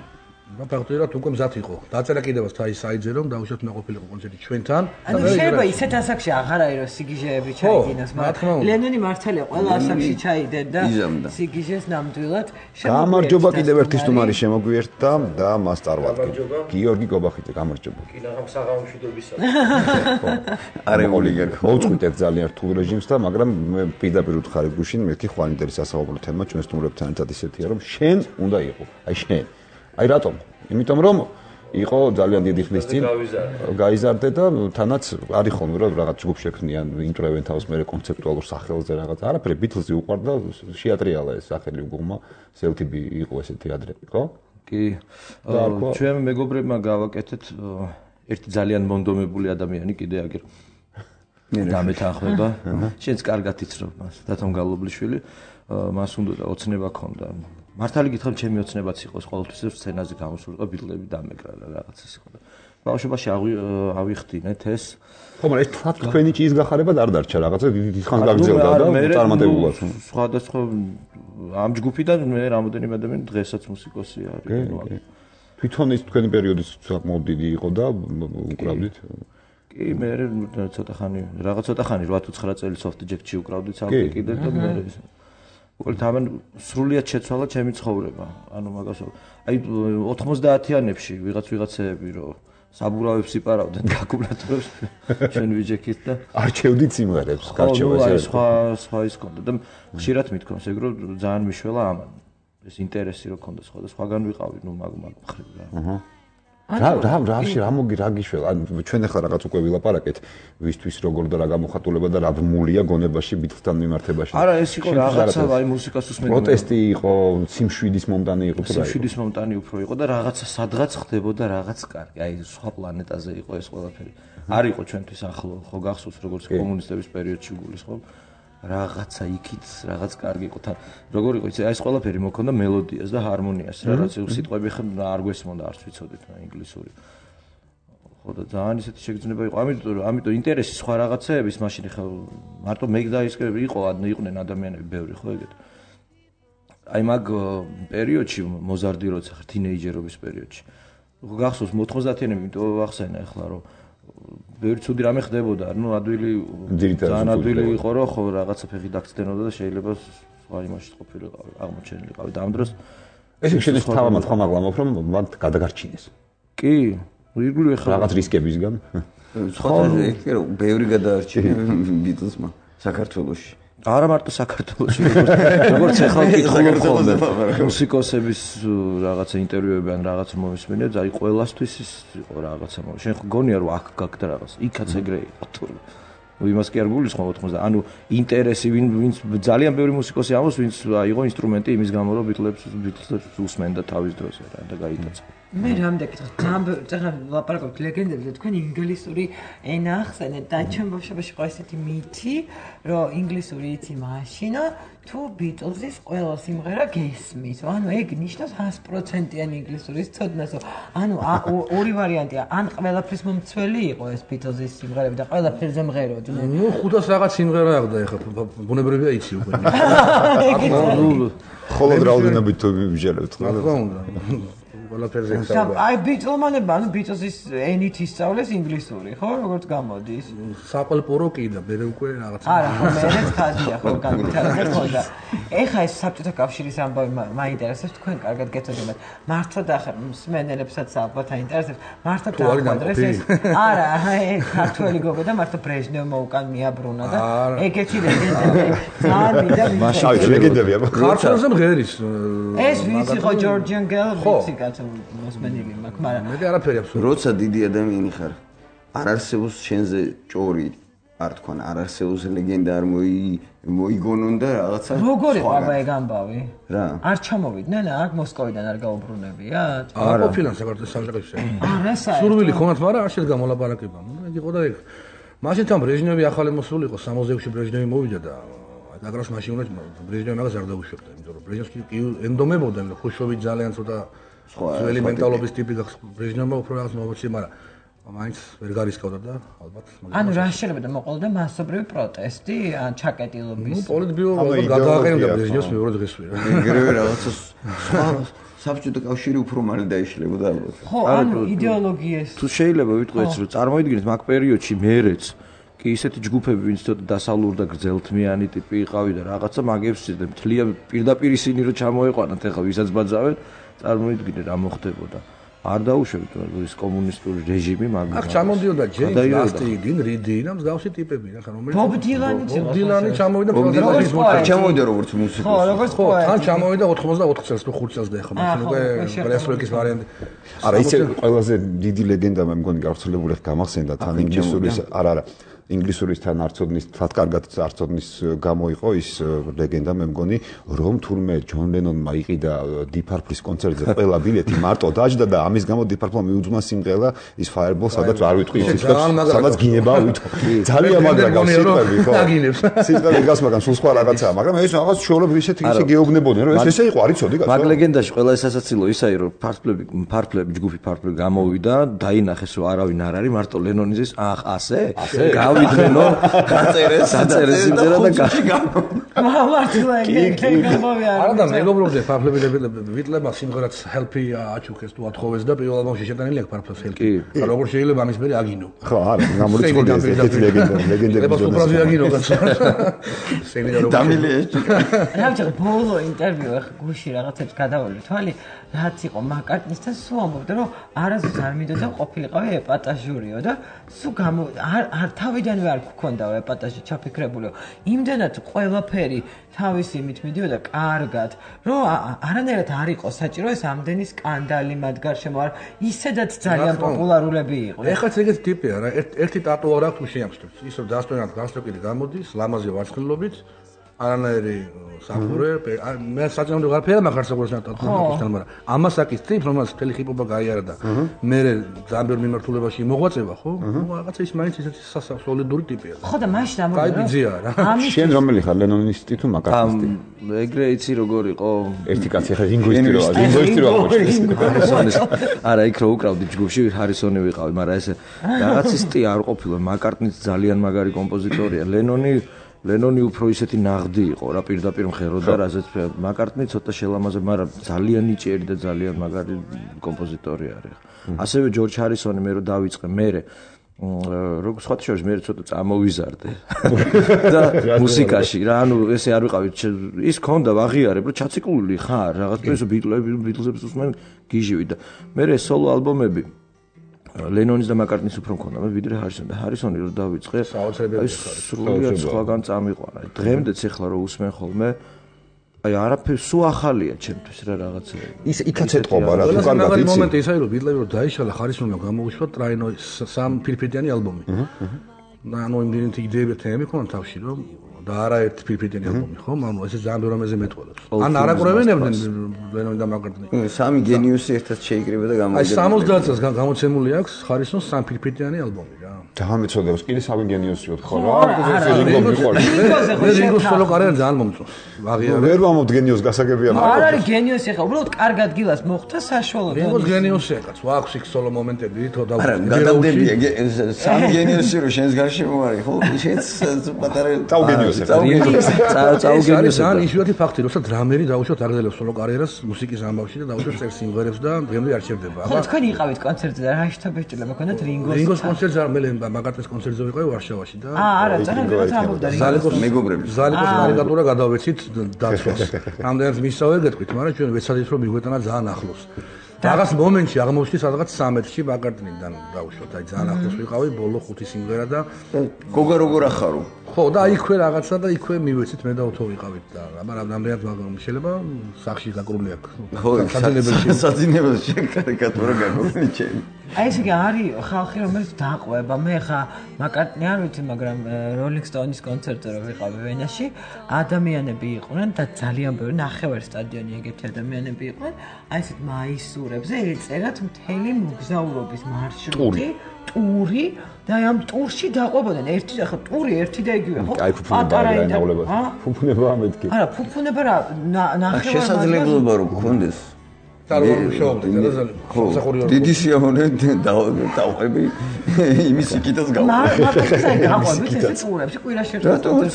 და ფაქტობრივად უკვე მზად იყო. დაწერა კიდევაც თაი საიძე რომ დაუშვათ უნდა ყოფილიყო კონცერტი ჩვენთან. ანუ შეიძლება ისეთ ასაკში აღარ არის რომ სიგიჟეები ჩაიგინოს, მაგრამ ლენონი მართალია ყველა ასაკში ჩაიდენ და სიგიჟეს ნამდვილად გამარჯობა კიდევ ერთი სტუმარი შემოგვიერთდა და მას წარვადგენ. გიორგი გობახიძე, გამარჯობა. კი, ნახავ საღამოშვიდობისა. არა ოლიგერ. მოვწყვიტეთ ძალიან რთულ რეჟიმს და მაგრამ მე პირდაპირ ვთხარი გუშინ მეთქი ხვანიდერი სასაუბრო თემა ჩვენ სტუმრებთან ერთად ისეთია რომ შენ უნდა იყო. აი შენ აი რატომ? იმიტომ რომ იყო ძალიან დიდი ხნის წინ გაიზარდე და თანაც არის ხოლმე რომ რაღაც ჯგუფ შექმნიან, ინტროვენ თავს მე კონცეპტუალურ სახელზე რაღაც. არაფერი ბითლზი უყვარდა, შეატრიალა ეს სახელი უგუმა, სელთიბი იყო ესეთი ადრე, ხო? კი. ჩვენ მეგობრებმა გავაკეთეთ ერთი ძალიან მონდომებული ადამიანი კიდე აგერ დამეთანხმება. შენც კარგად იცნობ მას, დათომ გალობლიშვილი, მას უნდა ოცნება ქონდა. მართალი გითხრათ, ჩემი ოცნებაც იყოს ყოველთვის სცენაზე გამოსულიყო ბიტლები დამეკრა რაღაც ის იყო და ბავშვობაში ავიხდინეთ ეს. ხო, მაგრამ ეს თქვენი ჭიის გახარებად არ დარჩა რაღაცა დიდი ხანი გაგრძელდა და წარმატებულად. სხვადასხვა ამ ჯგუფიდან მე რამოდენიმე ადამიანი დღესაც მუსიკოსი არის. თვითონ ის თქვენი პერიოდის საკმაოდ დიდი იყო და უკრავდით? კი, მე ცოტა ხანი, რაღაც ცოტა ხანი რვა თუ ცხრა წელი soft jack-ში უკრავდით საერთოდ კიდე და მე უყურეთ ამან სრულიად შეცვალა ჩემი ცხოვრება. ანუ მაგას აი ოთხმოცდაათიანებში ვიღაც ვიღაცები რომ საბურავებს იპარავდნენ კალკულატორებს ჩვენ ვიჯექით და არჩევდით სიმღერებს, გარჩევას ეს სხვა სხვა ის კონდა და ხშირად მithქვამს ეგ რომ ძალიან მიშველა ამან. ეს ინტერესი რო ქონდა სხვა და სხვაგან ვიყავი, ნუ მაგ მაგ მხრივ რა. აჰა. რა რა რაში რა მოგი რა გიშველა? ანუ ჩვენ ახლა რაღაც უკვე ვილაპარაკეთ, ვისთვის როგორ და რა გამოხატულება და რა ბმულია გონებაში ბიტლთან მიმართებაში. არა, ეს იყო რაღაცა აი მუსიკას უსმენდა. პროტესტი იყო, სიმშვიდის მომტანი იყო და სიმშვიდის მომტანი უფრო იყო და რაღაცა სადღაც ხდებოდა რაღაც კარგი. აი სხვა პლანეტაზე იყო ეს ყველაფერი. არ იყო ჩვენთვის ახლო, ხო გახსოვს როგორც კომუნისტების პერიოდში გულისხმობ. რაღაცა იქით რაღაც კარგი იყო თან. როგორ იყო იცი, აი ეს ყველაფერი მოქონდა მელოდიას და ჰარმონიას, რაღაც სიტყვები ხომ არ გვესმოდა, არც ვიცოდით მე ინგლისური. ხო და ძალიან ისეთი შეგრძნება იყო. ამიტომ ამიტომ ინტერესი სხვა რაღაცეების მაშინ ხა მარტო მე და ის იყო იყვნენ ადამიანები ბევრი ხო ეგეთ. აი მაგ პერიოდში მოზარდი როცა ხარ თინეიჯერობის პერიოდში. გახსოვს მოთხმოცდაათიანები, იმიტომ ახსენა ახლა რომ ბევრი ცუდი რამე ხდებოდა, ну ადვილი ძალიან ადვილი იყო რომ ხო რაღაცა ფეხი დაგწდენოდა და შეიძლება სხვა იმაში ყოფილიყო, აღმოჩენილიყავი და ამ დროს ეს შეიძლება თავამაც ხომ აგლამობ რომ მან გადაგარჩინეს. კი, ირგვლივ ახლა რაღაც რისკებისგან. სხვა ეგ რომ ბევრი გადაარჩინა ბიტლსმა საქართველოში. არა მარტო საქართველოში, როგორც ახლა ვკითხულობ ხოლმე მუსიკოსების რაღაცა ინტერვიუები ან რაღაც მომისმენია, აი ყველასთვის ის იყო რაღაცა. შენ ხო გონია რომ აქ გაგდა რაღაც, იქაც ეგრე იყო თუ იმას კი არ გულისხმობ ოთხმოცდა. ანუ ინტერესი ვინ ვინც ძალიან ბევრი მუსიკოსი ამბობს, ვინც აიღო ინსტრუმენტი იმის გამო რომ ბიტლებს ბიტლებს უსმენდა თავის დროზე რა და გაიტაცა. მე რამდენი კითხვა, ძალიან ლაპარაკობთ ლეგენდებზე, თქვენ ინგლისური ენა ახსენეთ და ჩვენ ბავშვობაში ყო ესეთი მითი, რომ ინგლისური იცი მაშინა თუ ბიტლზის ყველა სიმღერა გესმის. ანუ ეგ ნიშნავს ას პროცენტიანი ინგლისურის ცოდნას. ანუ ორი ვარიანტია, ან ყველაფრის მომცველი იყო ეს ბიტლზის სიმღერები და ყველაფერზე მღეროდნენ. ნუ ხუთას რაღაც სიმღერა აღდა ეხლა ბუნებრივია იცი უკვე. ხოლოდ რაოდენობით თუ ვიჟერებთ რა თქმა უნდა. ყველაფერზე ხსავდა. აი ბიტლმანებმა, ანუ ბიტლზის ენით ისწავლეს ინგლისური, ხო, როგორც გამოდის? საყელპორო კი და მე უკვე რაღაც. არა, ხო, მეც ხაზია ხო განვითარებად ხონდა. ეხა ეს საბჭოთა კავშირის ამბავი მაინტერესებს, თქვენ კარგად გეცოდინებთ. მართლა და ახლა მსმენელებსაც ალბათ აინტერესებს. მართლა დააკვადრეს ეს. არა, აი ქართველი გოგო და მართლა ბრეჟნევმა უკან მიაბრუნა და ეგეთი ლეგენდები. ძალიან მინდა მაშინ ლეგენდებია. ქართველზე მღერის. ეს ვინც იყო ჯორჯიან გელ ვიცი კაც მოსმენილი მაქვს, მაგრამ მე არაფერი აბსოლუტურად. როცა დიდი ადამიანი ხარ, არ არსებობს შენზე ჭორი, არ თქვან, არ არსებობს ლეგენდა არ მოი მოიგონონ და რაღაცა. როგორ იყო აბა ეგ ამბავი? რა? არ ჩამოვიდნენ აქ მოსკოვიდან არ გაუბრუნებიათ? არ ყოფილან საქართველოს სამშობლოში. არა, საერთოდ. სურვილი ქონათ, მაგრამ არ შედგა მოლაპარაკება. ეგ იყო და ეგ. მაშინ თან ბრეჟნევი ახალი მოსულიყო, სამოცდაექვსში ბრეჟნევი მოვიდა და აგროს მაშინ უნდა ბრეჟნევი მაგას არ დაუშვებდა, იმიტომ რომ ბრეჟნევსკი კი ენდომებოდნენ, ხუშოვი ძალიან ცოტა ძველი მენტალობის ტიპი გახსნა ბრეჟნევმა უფრო რაღაც მომოწი, მაგრამ მაინც ვერ გარისკავდა და ალბათ ანუ რა შეიძლება და მოყოლდა მასობრივი პროტესტი ან ჩაკეტილობის ნუ პოლიტბიურო გადააყენებდა ბერძნიოს მეორე დღესვე რა ეგრევე რაღაცა საბჭოთა კავშირი უფრო მალე დაიშლებოდა ალბათ ხო ანუ იდეოლოგიას თუ შეიძლება ვიტყვით რომ წარმოიდგინეთ მაგ პერიოდში მერეც კი ისეთი ჯგუფები ვინც ცოტა დასავლურ და გრძელთმიანი ტიპი იყავი და რაღაცა მაგებს მთლიან პირდაპირ ისინი რომ ჩამოეყვანათ ეხლა ვისაც ბაძავენ წარმოიდგინე რა მოხდებოდა არ დაუშვებით ის კომუნისტური რეჟიმი მაგ აქ ჩამოდიოდა ჯეიმს ლასტი 딘 რიდი და მსგავსი ტიპები რა ხა რომელიც ბობ დილანი ბობ დილანი ჩამოვიდა პროდიუსერის მოწა ჩამოვიდა როგორც მუსიკოსი ხო როგორც ხო თან ჩამოვიდა ოთხმოცდაოთხ წელს თუ ხუთ წელს და ეხლა მაშინ უკვე გრესროიკის ვარიანტი არა ისე ყველაზე დიდი ლეგენდა მე მგონი გავრცელებული ხ გამახსენდა თან ინგლისურის არა არა ინგლისურისთან არცოდნის თათ კარგად არცოდნის გამოიყო ის ლეგენდა მე მგონი რომ თურმე ჯონ ლენონმა იყიდა დიფარფლის კონცერტზე ყველა ბილეთი მარტო დაჯდა და ამის გამო დიფარფლმა მიუძღვნა სიმღერა ის Fireball სადაც არ ვიტყვი ის სადაც გინება ვითო ძალიან მაგრა გავს სიტყვები ხო სიტყვები გავს მაგრამ სულ სხვა რაღაცაა მაგრამ ეს რაღაც შორობ ისეთი ისე გეუბნებოდნენ რომ ეს ესე იყო არ იცოდი კაცო მაგ ლეგენდაში ყველა ეს ასაცილო ისაა რომ ფარფლები ფარფლები ჯგუფი ფარფლები გამოვიდა დაინახეს რომ არავინ არ არის მარტო ლენონიზის ახ ასე ვიდრენო გაწერეს გაწერეს იმდერა და გამო მამართლა ეგ გამოვიდა არა და მეგობრობდნენ ფარფლები ვიტლებმა სიმღერაც help-ი აჩუქეს თუ ათხოვეს და პირველ ალბომში შეტანილი აქვს ფარფლებს help-ი და როგორ შეიძლება ამის მერე აგინო ხო არა გამორიცხული ეს ესეთი ლეგენდა ლეგენდები ება სუპრაზი აგინო კაცო სეგნიდა როგორ დამილე ეს რა ბოლო ინტერვიუ ახ გუში რაღაცებს გადავალი თვალი რაც იყო მაკარტნისთან სულ ამბობდა რომ არასდროს არ მინდოდა ყოფილიყავი ეპატაჟურიო და სულ გამო არ თავიდანვე არ გქონდაო ეპატაჟი ჩაფიქრებულიო იმდენად ყველაფერი თავის იმით მიდიოდა კარგად რომ არანაირად არ იყო საჭირო ეს ამდენი სკანდალი მათ გარშემო არ ისედაც ძალიან პოპულარულები იყვნენ ეხლა ეგეთი ტიპია რა ერთი ტატუ არ აქვს შეამჩნევს ის რომ დასტოინად გასწრებული გამოდის ლამაზი ვარცხნილობით არანაირი საფურე მე საჭამო გარფერა მაგარ საყურეს ნატატუს მაგრამ ამას აკის ტიპ რომელსაც მთელი ხიპობა გაიარა და მე ძალიან ბევრ მიმართულებაში მოღვაწება ხო ნუ რაღაცა ის მაინც ისეთი სასოლიდური ტიპია ხო და მაშინ ამბობ რა შენ რომელი ხარ ლენონისტი თუ მაკარტნისტი ეგრე იცი როგორ იყო ერთი კაცი ხა რინგოისტი რა რინგოისტი რა აღვნიშნეს არა იქ რო უკრავდი ჯგუფში ჰარისონი ვიყავი მაგრამ ეს რაღაც სტი არ ყოფილა მაკარტნიც ძალიან მაგარი კომპოზიტორია ლენონი ლენონი უფრო ისეთი ნაღდი იყო რა პირდაპირ მღეროდა რაზეც მაკარტნი ცოტა შელამაზე მაგრამ ძალიან ნიჭიერი და ძალიან მაგარი კომპოზიტორი არის ასევე ჯორჯ ჰარისონი მე რო დავიწყე მე როგორ სხვა შორის მე ცოტა წამოვიზარდე და მუსიკაში რა ანუ ესე არ ვიყავი ის ქონდა ვაღიარებ რომ ჩაციკლული ხარ რაღაც ეს ბიტლები ბიტლებს უსმენ გიჟივი და მე სოლო ალბომები ლენონის და მაკარტნის უფრო მქონდა მე ვიდრე ჰარისონი და ჰარისონი რო დავიწყე საოცრებელი სრულიად სხვაგან წამიყვანა დღემდეც ეხლა რო უსმენ ხოლმე აი არაფერი სულ ახალია ჩემთვის რა რაღაცა ის იქაც ეთყობა რა თუ კარგად იცი მომენტი ისაა რომ ბიტლები რო დაიშალა ხარისონმა გამოუშვა ტრაინო სამ ფირფიტიანი ალბომი და ანუ იმდენით იდეები თემები ქონდა თავში რომ და არაერთი ფირფიტიანი ალბომი ხო ანუ ესე ძალიან ბევრ ამაზე მეტყველებს ან არაკურებინებდნენ ლენონი და მაკარტნი სამი გენიუსი ერთად შეიკრიბა და გამოვიდა აი სამოცდაათ წელს გამოცემული აქვს ხარისონს სამ ფირფიტიანი ალბომი რა ძალიან მეწოდებს კიდე სამი გენიუსიოთ ხო რა რინგო მიყვარს მე რინგოს სოლო კარიერა ძალიან მომწონს ვაღიარებ ვერ ვამობთ გენიოს გასაგებია მაგრამ არ არის გენიოსი ხა უბრალოდ კარგად გილას მოხდა საშუალო რინგოს გენიოსია კაც ვაქვს იქ სოლო მომენტები თო და არა გადამდებია სამი გენიოსი რო შენს გარშემო არის ხო შენს პატარა წაუ გენიოსი წაუ გენიოსი ძალიან იშვიათი ფაქტი როცა დრამერი დაუშვათ აგრძელებს სოლო კარიერას მუსიკის ამბავში და დაუშვათ წერს სიმღერებს და დღემდე არ ჩერდება ხო თქვენ იყავით კონცერტზე და რა შეთაბეჭდილა მქონდათ რინგოს რინგოს კონცერტზე არ მე მაგარტნის კონცერტზე ვიყავი ვარშავაში და აა არა ძალიან ამბობდა ზალიკოს მეგობრები ზალიკოს კარიკატურა გადავეცით დაცვას ამდენად მისავე გეტყვით მაგრამ ჩვენ ვეცადეთ რომ მიგვეტანა ძალიან ახლოს რაღაც მომენტში აღმოჩნდი სადღაც სამეთში მაგარტნიდან დაუშვათ აი ძალიან ახლოს ვიყავი ბოლო ხუთი სიმღერა და გოგა როგორ ახარო ხო და იქვე რაღაცა და იქვე მივეცით მე და ოთო ვიყავით და მაგრამ რამდენად შეიძლება სახში გაკრული აქვს ხო საძინებელში საძინებელში კარიკატურა გაკრული ჩემი აი ესე იგი არის ხალხი რომელიც დაყვება მე ხა მაკარტნი არ ვიცი მაგრამ როლინგ სტოუნის კონცერტზე რო ვიყავი ვენაში ადამიანები იყვნენ და ძალიან ბევრი ნახევარ სტადიონი ეგეთი ადამიანები იყვნენ აი ესეთ მაისურებზე ეწერათ მთელი მოგზაურობის მარშრუტი ტური და ამ ტურში დაყვებოდნენ ერთი ხა ტური ერთი და იგივე ხო პატარა ინაულება ფუფუნება ამეთქი არა ფუფუნება რა ნახევარ შესაძლებლობა რო გქონდეს დიდი სიამოვნებით დავყვები იმის იქითაც გავყვები.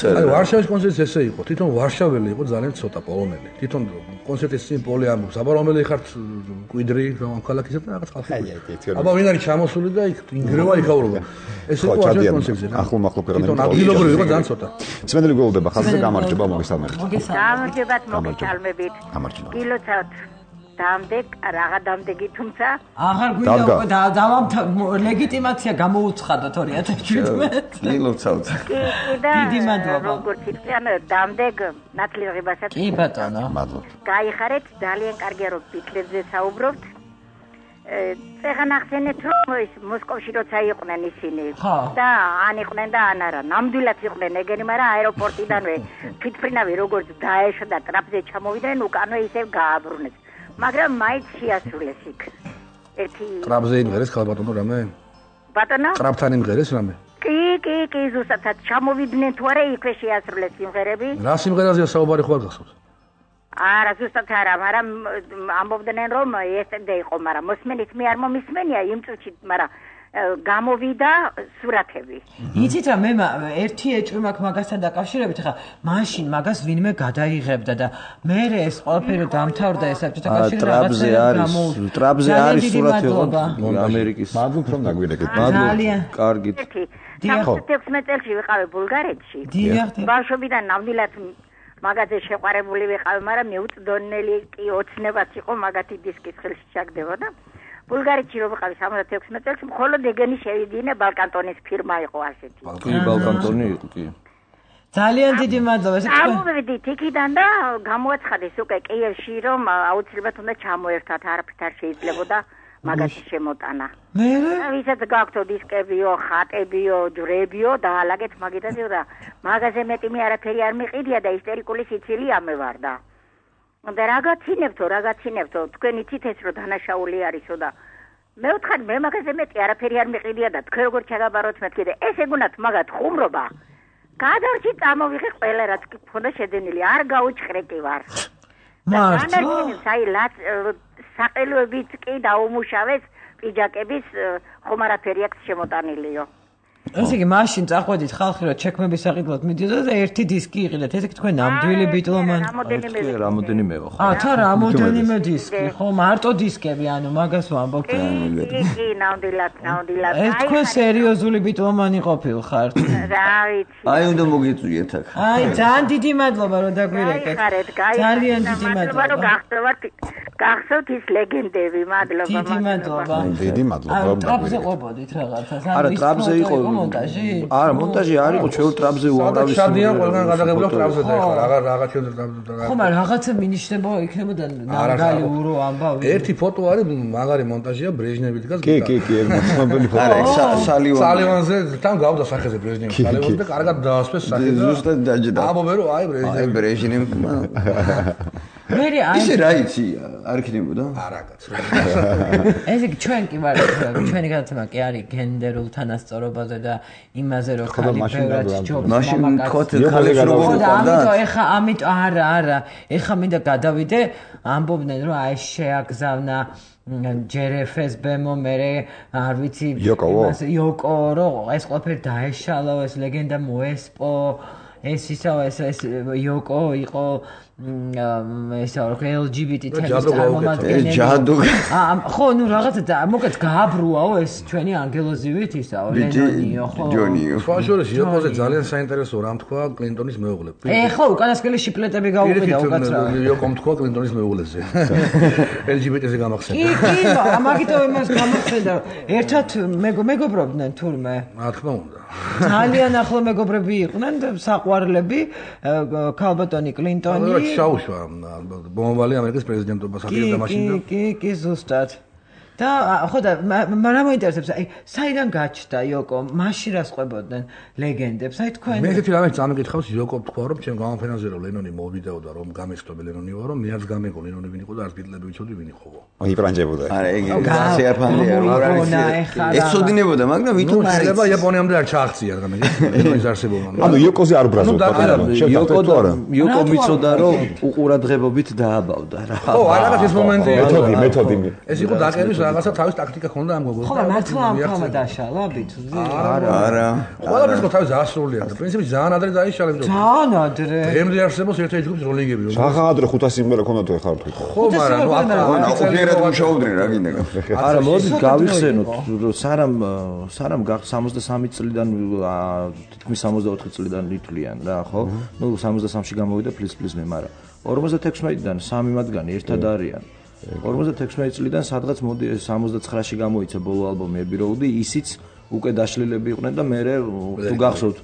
აი ვარშავის კონცერტი ესე იყო. თვითონ ვარშაველი იყო ძალიან ცოტა პოლონელი. თვითონ კონცერტის წინ პოლი ამბობს, აბა რომელი ხართ კვიდრი ამ ქალაქისა და რაღაც ხალხი. აბა ვინ არის ჩამოსული და იქ ინგრევა იქაურობა. ეს იყო ვარშავის კონცერტი. ახლო-მახლო ქვეყნები. თვითონ ადგილობრივი იყო ძალიან ცოტა. სმენელი გველდება ხალხზე გამარჯობა მოგესალმებით. გამარჯობათ მოგესალმებით. გილოცავთ დამდეგ რაღა დამდეგი თუმცა აღარ გვინდა უკვე დავამთ ლეგიტიმაცია გამოუცხადოთ ორი ათას შვიდმეტ. გილოცავთ. დიდი მადლობა. როგორც იციან დამდეგ ნათლიერებასაც. კი ბატონო. მადლობა. გაიხარეთ ძალიან კარგია რომ ბიტლებზე საუბრობთ. წეღან ახსენეთ რომ ის მოსკოვში როცა იყვნენ ისინი და ან იყვნენ და ან არა ნამდვილად იყვნენ ეგენი მაგრამ აეროპორტიდანვე თვითფრინავი როგორც დაეშვა და ტრაპზე ჩამოვიდნენ უკანვე ისევ გააბრუნეს მაგრამ მაინც შეასრულეს იქ ერთი ტრაპზე იმღერეს ხალბატონო რამე ბატონო ტრაპთან იმღერეს რამე კი კი კი ზუსტად ჩამოვიდნენ თუ არა იქვე შეასრულეს სიმღერები რა სიმღერაზეა საუბარი ხო არ გახსოვთ არა ზუსტად არა, მაგრამ ამბობდნენ რომ ესენდე იყო, მაგრამ მოსმენით მე არ მომისმენია იმ წუთში, მაგრამ გამოვიდა სურათები. იცით რა, მე ერთი ეჭვი მაქვს მაგასთან დაკავშირებით, ხა მაშინ მაგას ვინმე გადაიღებდა და მე ეს ყველაფერი დამთავრდა ეს საბჭოთა კავშირი რაღაცა არის, ტრაპზე არის სურათი ამერიკის. მადლობ რომ დაგვირეკეთ. მადლობ. კარგით. თექვსმეტ წელს ვიყავი ბულგარეთში. ბავშვობიდან ნამდვილად მაგაზე შეყვარებული ვიყავი, მაგრამ მეუწდონელი კი ოცნებაც იყო მაგათი დისკის ხელში ჩაგდებოდა. ბულგარეთში რო ვიყავი სამოცდათექვსმეტ წელს, მხოლოდ ეგენი შევიდინე ბალკანტონის ფირმა იყო ასეთი. კი, ბალკანტონი იყო, კი. ძალიან დიდი მადლობა. ამოვიდით იქიდან და გამოაცხადეს უკვე კიევში, რომ აუცილებლად უნდა ჩამოერთვათ, არაფრით არ შეიძლებოდა მაგათი შემოტანა. მე ვისაც გაქვთ დისკებიო, ხატებიო, ჯვრებიო და ალაგეთ მაგიტაზე და მაგაზე მეტი მე არაფერი არ მიყიდია და ისტერიკული სიცილი ამევარდა. და რაღაცინებთო, რაღაცინებთო, თქვენ იცით ეს რომ დანაშაული არისო და მე ვთხარი მე მაგაზე მეტი არაფერი არ მიყიდია და თქვენ როგორ ჩაგაბაროთ მეთქი და ეს ეგუნათ მაგათ ხუმრობა. გადარჩი წამოვიღე ყველა რაც კი მქონდა შედენილი, არ გაუჭხრე კი ვარ. მართლა? საი ლაც საყელოებით კი დაუმუშავეს პიჯაკების ხომ არაფერი აქვს შემოტანილიო. ესე იგი მაშინ წახვედით ხალხი რომ ჩექმების საყიდლად მიდიოდა და ერთი დისკი იყიდეთ. ესე იგი თქვენ ნამდვილი ბიტლომანი. აი რამოდენიმეო ხო? აა თა რამოდენიმე დისკი ხო? მარტო დისკები ანუ მაგას ვამბობთ. კი კი ნამდვილად ნამდვილად. ეს თქვენ სერიოზული ბიტლომანი ყოფილხართ. რა ვიცი. აი უნდა მოგიწვიეთ აქ. აი ძალიან დიდი მადლობა რომ დაგვირეკეთ. ძალიან დიდი მადლობა რომ გახსოვთ გახსოვთ ის ლეგენდები. მადლობა დიდი მადლობა. დიდი მადლობა რომ დაგვირეკეთ. ტრაპზე ყოფოდით რაღაცას. არა ტრაპზე იყო მონტაჟი? არა, მონტაჟი არ იყო, ჩვენ ტრაპზე უამრავი შადიან ყველგან გადაღებულა ტრაპზე და ეხლა რაღაც რაღაც ჩვენ ტრაპზე. ხო, მაგრამ რაღაცა მინიშნება იქნებოდა ნამდვილი ურო ამბავი. ერთი ფოტო არის მაგარი მონტაჟია ბრეჟნევი დგას. კი, კი, კი, ცნობილი ფოტო. არა, სალივან. სალივანზე თან გავდა სახეზე ბრეჟნევი სალივანზე და კარგად დაასვეს სახეზე. ზუსტად დაჯდა. ამბობენ რომ აი ბრეჟნევი. აი ბრეჟნევი. მე აი ისე რა იცი არ იქნებოდა? არა კაცო. ესე იგი ჩვენ კი ვარ ჩვენი გადაცემა კი არის გენდერულ თანასწორობაზე და იმაზე რომ ხალი ბევრად ჯობს მაშინ თქოთ ხალებს როგორ უყავდა? ამიტომ ეხა ამიტომ არა არა ეხა მინდა გადავიდე ამბობდნენ რომ აი შეაგზავნა ჯერეფეს ბემო მერე არ ვიცი იმას იოკო რომ ეს ყველაფერი დაეშალო ეს ლეგენდა მოესპო ეს ისო ეს ეს იოკო იყო ეს ელ ჯი ბი ტი თემის წარმომადგენელი. ჯადო. აა ხო, ნუ რაღაცა მოკეთ გააბრუაო ეს ჩვენი ანგელოზივით ისაო, ლენონიო ხო. ჯონიო. ფაშორში იოკოზე ძალიან საინტერესო რამ თქვა კლინტონის მეუღლე. ე ხო, უკანასკნელი შიპლეტები გაუყიდა უკაცრა. იოკომ თქვა კლინტონის მეუღლეზე. ელ ჯი ბი ტი-ზე გამახსენდა. კი, კი, მაგითო იმას გამახსენდა. ერთად მეგობრობდნენ თურმე. რა თქმა უნდა. ძალიან ახლო მეგობრები იყვნენ და საყვარლები ქალბატონი კლინტონი შაუშვა ბომბალი ამერიკის პრეზიდენტობას აპირებდა მაშინ და კი კი კი ზუსტად და ხო და მაგრამ მოინტერესებს აი საიდან გაჩნდა იოკო მაშინ რას ყვებოდნენ ლეგენდებს აი თქვენ მე ერთი რამე წამიკითხავს იოკო თქვა რომ ჩემ გამოფენაზე რომ ლენონი მოვიდაოდა რომ გამეცდები ლენონი ვარო მე არც გამეგო ლენონი ვინ იყო და არც ბიტლები ვიცოდი ვინ იყო აი ბრანჯებოდა არა ეგ შეაფანდია რა არის ეცოდინებოდა მაგრამ ვითომ შეიძლება იაპონიამდე არ ჩააღწია რამე ლენონის არსებობა ანუ იოკოზე არ ბრაზობდა იოკო და იოკო მიცოდა რომ უყურადღებობით დააბავდა რა ხო არა ეს მომენტია მეთოდი მეთოდი ეს იყო დაკერვის რაღაცა თავის ტაქტიკა ქონდა ამ გოგოს. ხო, მართლა ამ ხმა დაშალა ბიჭზე? არა, არა. ყველაფერს ხო თავის ასრულია და პრინციპი ძალიან ადრე დაიშალა ბიჭო. ძალიან ადრე. დღემდე არსებობს ერთ-ერთი ჯგუფის როლინგები რომ. ძალიან ადრე ხუთასი სიმღერა ქონდა თუ ეხარ თქვი. ხო, მაგრამ ნუ აფერად მუშაობდნენ რა გინდა. არა, მოდით გავიხსენოთ, სარამ სარამ სამოცდასამი წლიდან თითქმის სამოცდაოთხი წლიდან ითვლიან რა, ხო? ნუ სამოცდასამში გამოვიდა ფლის ფლის მე, მაგრამ ორმოცდათექვსმეტიდან სამი მათგანი ერთად არიან. ორმოცდათექვსმეტი წლიდან სადღაც მოდი სამოცდაცხრაში გამოიცა ბოლო ალბომი Abbey Road, ისიც უკვე დაშლილები იყვნენ და მერე თუ გახსოვთ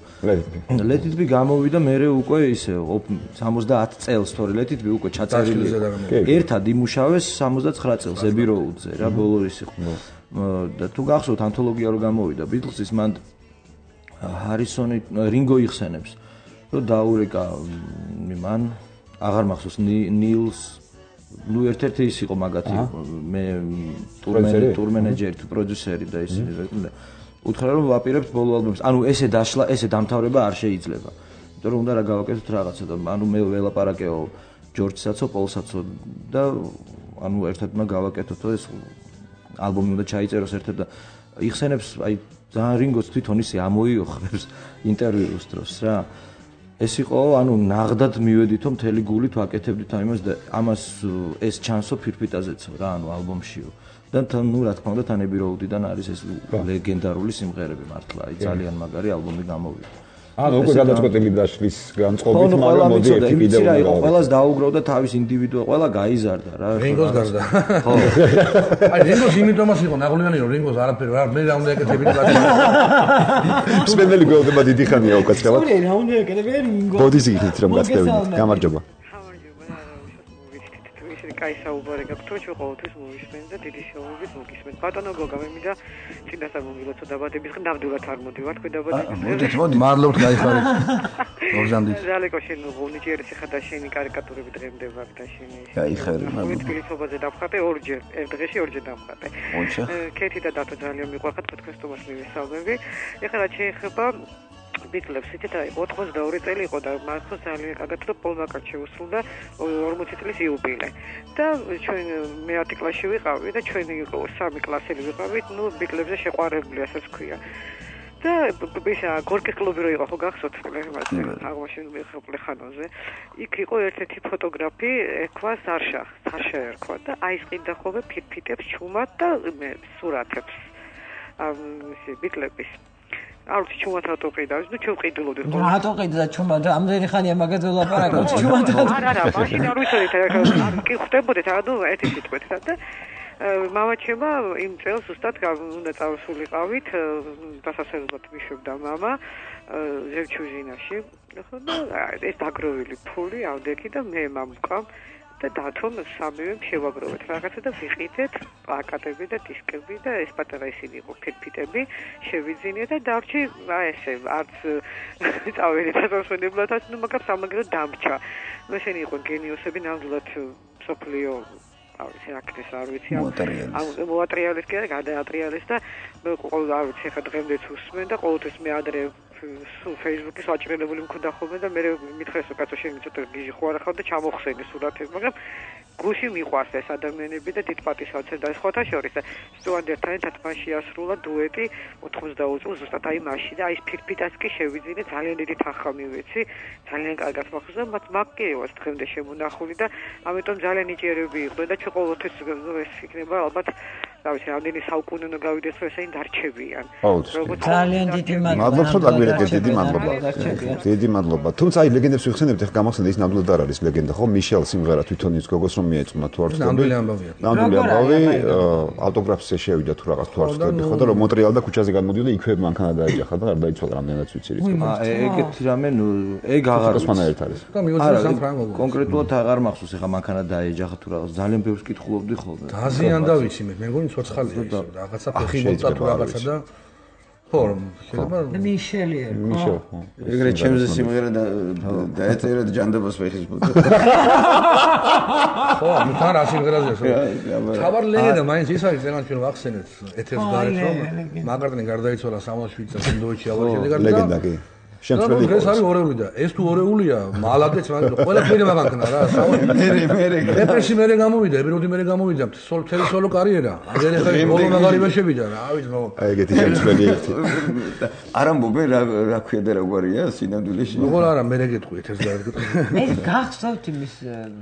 Let It Be გამოვიდა მერე უკვე ისე სამოცდაათ წელს თორე Let It Be უკვე ჩაწერილი ერთად იმუშავეს სამოცდაცხრა წელს Abbey Road-ზე რა ბოლო ის იყო და თუ გახსოვთ ანთოლოგია რო გამოვიდა Beatles-ის მან ჰარისონი რინგო იხსენებს რომ დაურეკა მან აღარ მახსოვს ნილს ნუ ერთ-ერთი ის იყო მაგათი მე ტურმენეჯერი ტურმენეჯერი თუ პროდიუსერი და ის უთხრა რომ ვაპირებთ ბოლო ალბომს ანუ ესე დაშლა ესე დამთავრება არ შეიძლება იმიტომ რომ უნდა რა გავაკეთოთ რაღაცა და ანუ მე ველაპარაკეო ჯორჯსაცო პოლსაცო და ანუ ერთად მაგ გავაკეთოთ ეს ალბომი უნდა ჩაიწეროს ერთად და იხსენებს აი ძალიან რინგოს თვითონ ისე ამოიოხრებს ინტერვიუს დროს რა ეს იყო ანუ ნაღდად მივედითო მთელი გულით ვაკეთებდით ამას და ამას ეს ჩანსო ფირფიტაზეცო რა ანუ ალბომშიო და ნუ რა თქმა უნდა თან Abbey Road-დან არის ეს ლეგენდარული სიმღერები მართლა აი ძალიან მაგარი ალბომი გამოვიდა ანუ უკვე გადაწყვეტილი დაშლის განწყობით მაგრამ მოდი ერთი კიდევ რა იყო ყველას დაუგროვდა თავის ინდივიდუალ ყველა გაიზარდა რა რინგოს გარდა ხო აი რინგოს იმიტომაც იყო ნაღლიანი რომ რინგოს არაფერი რა მე რა უნდა ეკეთებინი სპენდელი გველდება დიდი ხანია უკაცრავად სულ რა უნდა ეკეთებინი რინგო ბოდის იქით რომ გაწევინით გამარჯობა კაი საუბარი გაქვთ თუ ყოველთვის მოვისმენ და დიდი შეურობით მოგისმენთ ბატონო გოგა მე მინდა წინასწარ მომილოცო დაბადების დღე ნამდვილად არ მოდივარ თქვენ დაბადების დღე მოდით მოდით მადლობთ გაიხარეთ ორჟანდით ძალეკო შენ გონიჯერ ეხა და შენი კარიკატურები დღემდე ვარ და შენი გაიხარე მადლობთ თბილისობაზე დავხატე ორჯერ ერთ დღეში ორჯერ დავხატე კეთი და დათო ძალიან მიყვარხარ თქვენ სტუმარს მივესალმები ეხლა რა შეეხება ბიტლებს იცით აი ოცდაორი წელი იყო და მართლა ძალიან კარგად რომ პოლ მაკარტნი შეუსრულდა ორმოცი წლის იუბილე და ჩვენ მეათე კლასში ვიყავი და ჩვენი სამი კლასელი ვიყავით ნუ ბიტლებზე შეყვარებული ასე ვქვია და ისა გორკის კლუბი რო იყო ხო გახსოვთ აღმაშენ მიხოპლე ხანოზე იქ იყო ერთ-ერთი ფოტოგრაფი ერქვა სარშა სარშა ერქვა და აი ეს ყიდა ხოლმე ფირფიტებს ჩუმად და სურათებს ამ ბიტლების არც ჩუმად რატო ყიდა? ნუ ჩვენ ყიდულობდით ხო? რატო ყიდა ჩუმად? ამდენი ხანია მაგაზე ვლაპარაკობთ ჩუმად. არა არა, მაშინ არ ვიცოდით, არ კი ხვდებოდით, ანუ ერთი სიტყვით და მამაჩემა იმ წელს ზუსტად უნდა წავსულიყავით, დასასრულებლად მიშვებდა მამა ზევჩუჟინაში. ხო და ეს დაგროვილი ფული ავდექი და მე მამუკამ და დათომ სამივე შევაგროვეთ რაღაცა და ვიყიდეთ პლაკატები და დისკები და ეს პატარა ისინი იყო ფირფიტები შევიძინე და დარჩი აი ესე არც წავედი დასასვენებლადაც ნუ მაგრამ სამაგრო დამრჩა ნუ ესენი იყო გენიოსები ნამდვილად სოფლიო არ ვიცი აქტეს არ ვიცი ამ მოატრიალის კი არა გადაატრიალის და ყოველ არ ვიცი ხა დღემდეც უსმენ და ყოველთვის მე ადრე სულ Facebook-ის ვაჭრელებული მქონდა ხოლმე და მე მითხრეს რომ კაცო შენ ცოტა გიჟი ხო არა ხარ და ჩამოხსენი სურათები მაგრამ გუში მიყვარს ეს ადამიანები და დიდ პატივსაცემ და ხოთა შორის და სტუანდერთან ერთად მან შეასრულა დუეტი ოთხმოცდაოთხ წელს ზუსტად აი მაშინ და აი ფირფიტას კი შევიძინე ძალიან დიდი თანხა მივეცი ძალიან კარგად მახსოვს და მათ მაგკიევას დღემდე შემონახული და ამიტომ ძალიან ნიჭიერები იყვნენ და ჩვენ ყოველთვის ეს იქნება ალბათ რა ვიცი რამდენი საუკუნე უნდა გავიდეს რომ ესენი დარჩებიან ძალიან დიდი მადლობა მადლობს რომ დაგვირეკეთ დიდი მადლობა დიდი მადლობა თუმცა აი ლეგენდებს ვიხსენებთ ახლა გამახსენდა ის ნამდვილად არ არის ლეგენდა ხო მიშელ სიმღერა თვითონ ის გოგოს რომ მიეწმა თუ არ ვთქვი ნამდვილი ამბავია ნამდვილი ამბავი ავტოგრაფზე შევიდა თუ რაღაც თუ არ ვთქვი ხო და რომ მონტრეალ და ქუჩაზე გამოდიოდა იქვე მანქანა დაეჯახა და არ დაიცვალა რამდენად ვიცი რით ეგეთი რამე ნუ ეგ აღარ ვიცი ერთ არის და მიოცი სამ ფრანგო კონკრეტულად აღარ მახსოვს ახლა მანქანა დაეჯახა თუ რაღაც ძალიან ბევრს კითხულობდი ხოლმე დაზიანდა ვიცი მე მეგონი ცოცხალია ის რაღაცა ფეხი მოწა თუ რაღაცა და ხო შეიძლება მიშელი მიშელ ხო ეგრე ჩემზე სიმღერა და დაეწერა ჯანდაბას ფეხის მოწა ხო თან რა სიმღერაზეა თავარ ლეგენდა მაინც ის არის ზენან ჩვენ ვახსენეთ ეთერს გარეთ რომ მაგარტნი გარდაიცვალა სამოცდაშვიდ წელს ინდოეთში ავარ შედეგად ლეგენდა კი შემცვლელი ეს არის ორეული და ეს თუ ორეულია მალადეც მაგრამ ყველაფერი მაგანქნა რა მერე მერე რეპრესი მერე გამოვიდა ებროდი მერე გამოვიდა სულ თელი სოლო კარიერა აგერ ახლა ბოლო მაგარი შევიდა რა ვიცი ნო აი ეგეთი შემცვლელი ერთი არ ამბობენ რა რა ქვია და რა გვარია სინამდვილეში როგორ არა მე გეტყვი ეთერს გაერგოთ ეს გახსოვთ იმის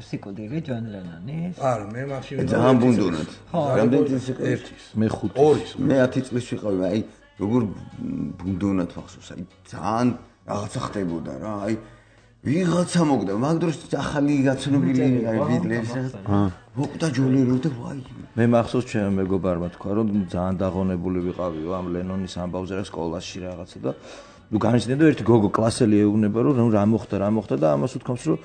სიკვდილი ჯონ ლენონის არა მე მაშინ ძალიან ბუნდუნად რამდენი წელი ერთის მე ხუთი ორის მე ათი წლის ვიყავი აი როგორ ბუნდუნად ვახსოვს აი ძალიან რაღაცა ხდებოდა რა აი ვიღაცა მოგდა მაგ დროს ახალი გაცნობილი აი ბიტლებს მოკდა ჯოლერო და ვაი მე მახსოვს ჩემ მეგობარმა თქვა რომ ძალიან დაღონებული ვიყავიო ამ ლენონის ამბავზე რა სკოლაში რაღაცა და ნუ განიცდიდა ერთი გოგო კლასელი ეუბნება რომ რა მოხდა რა მოხდა და ამას უთქვამს რომ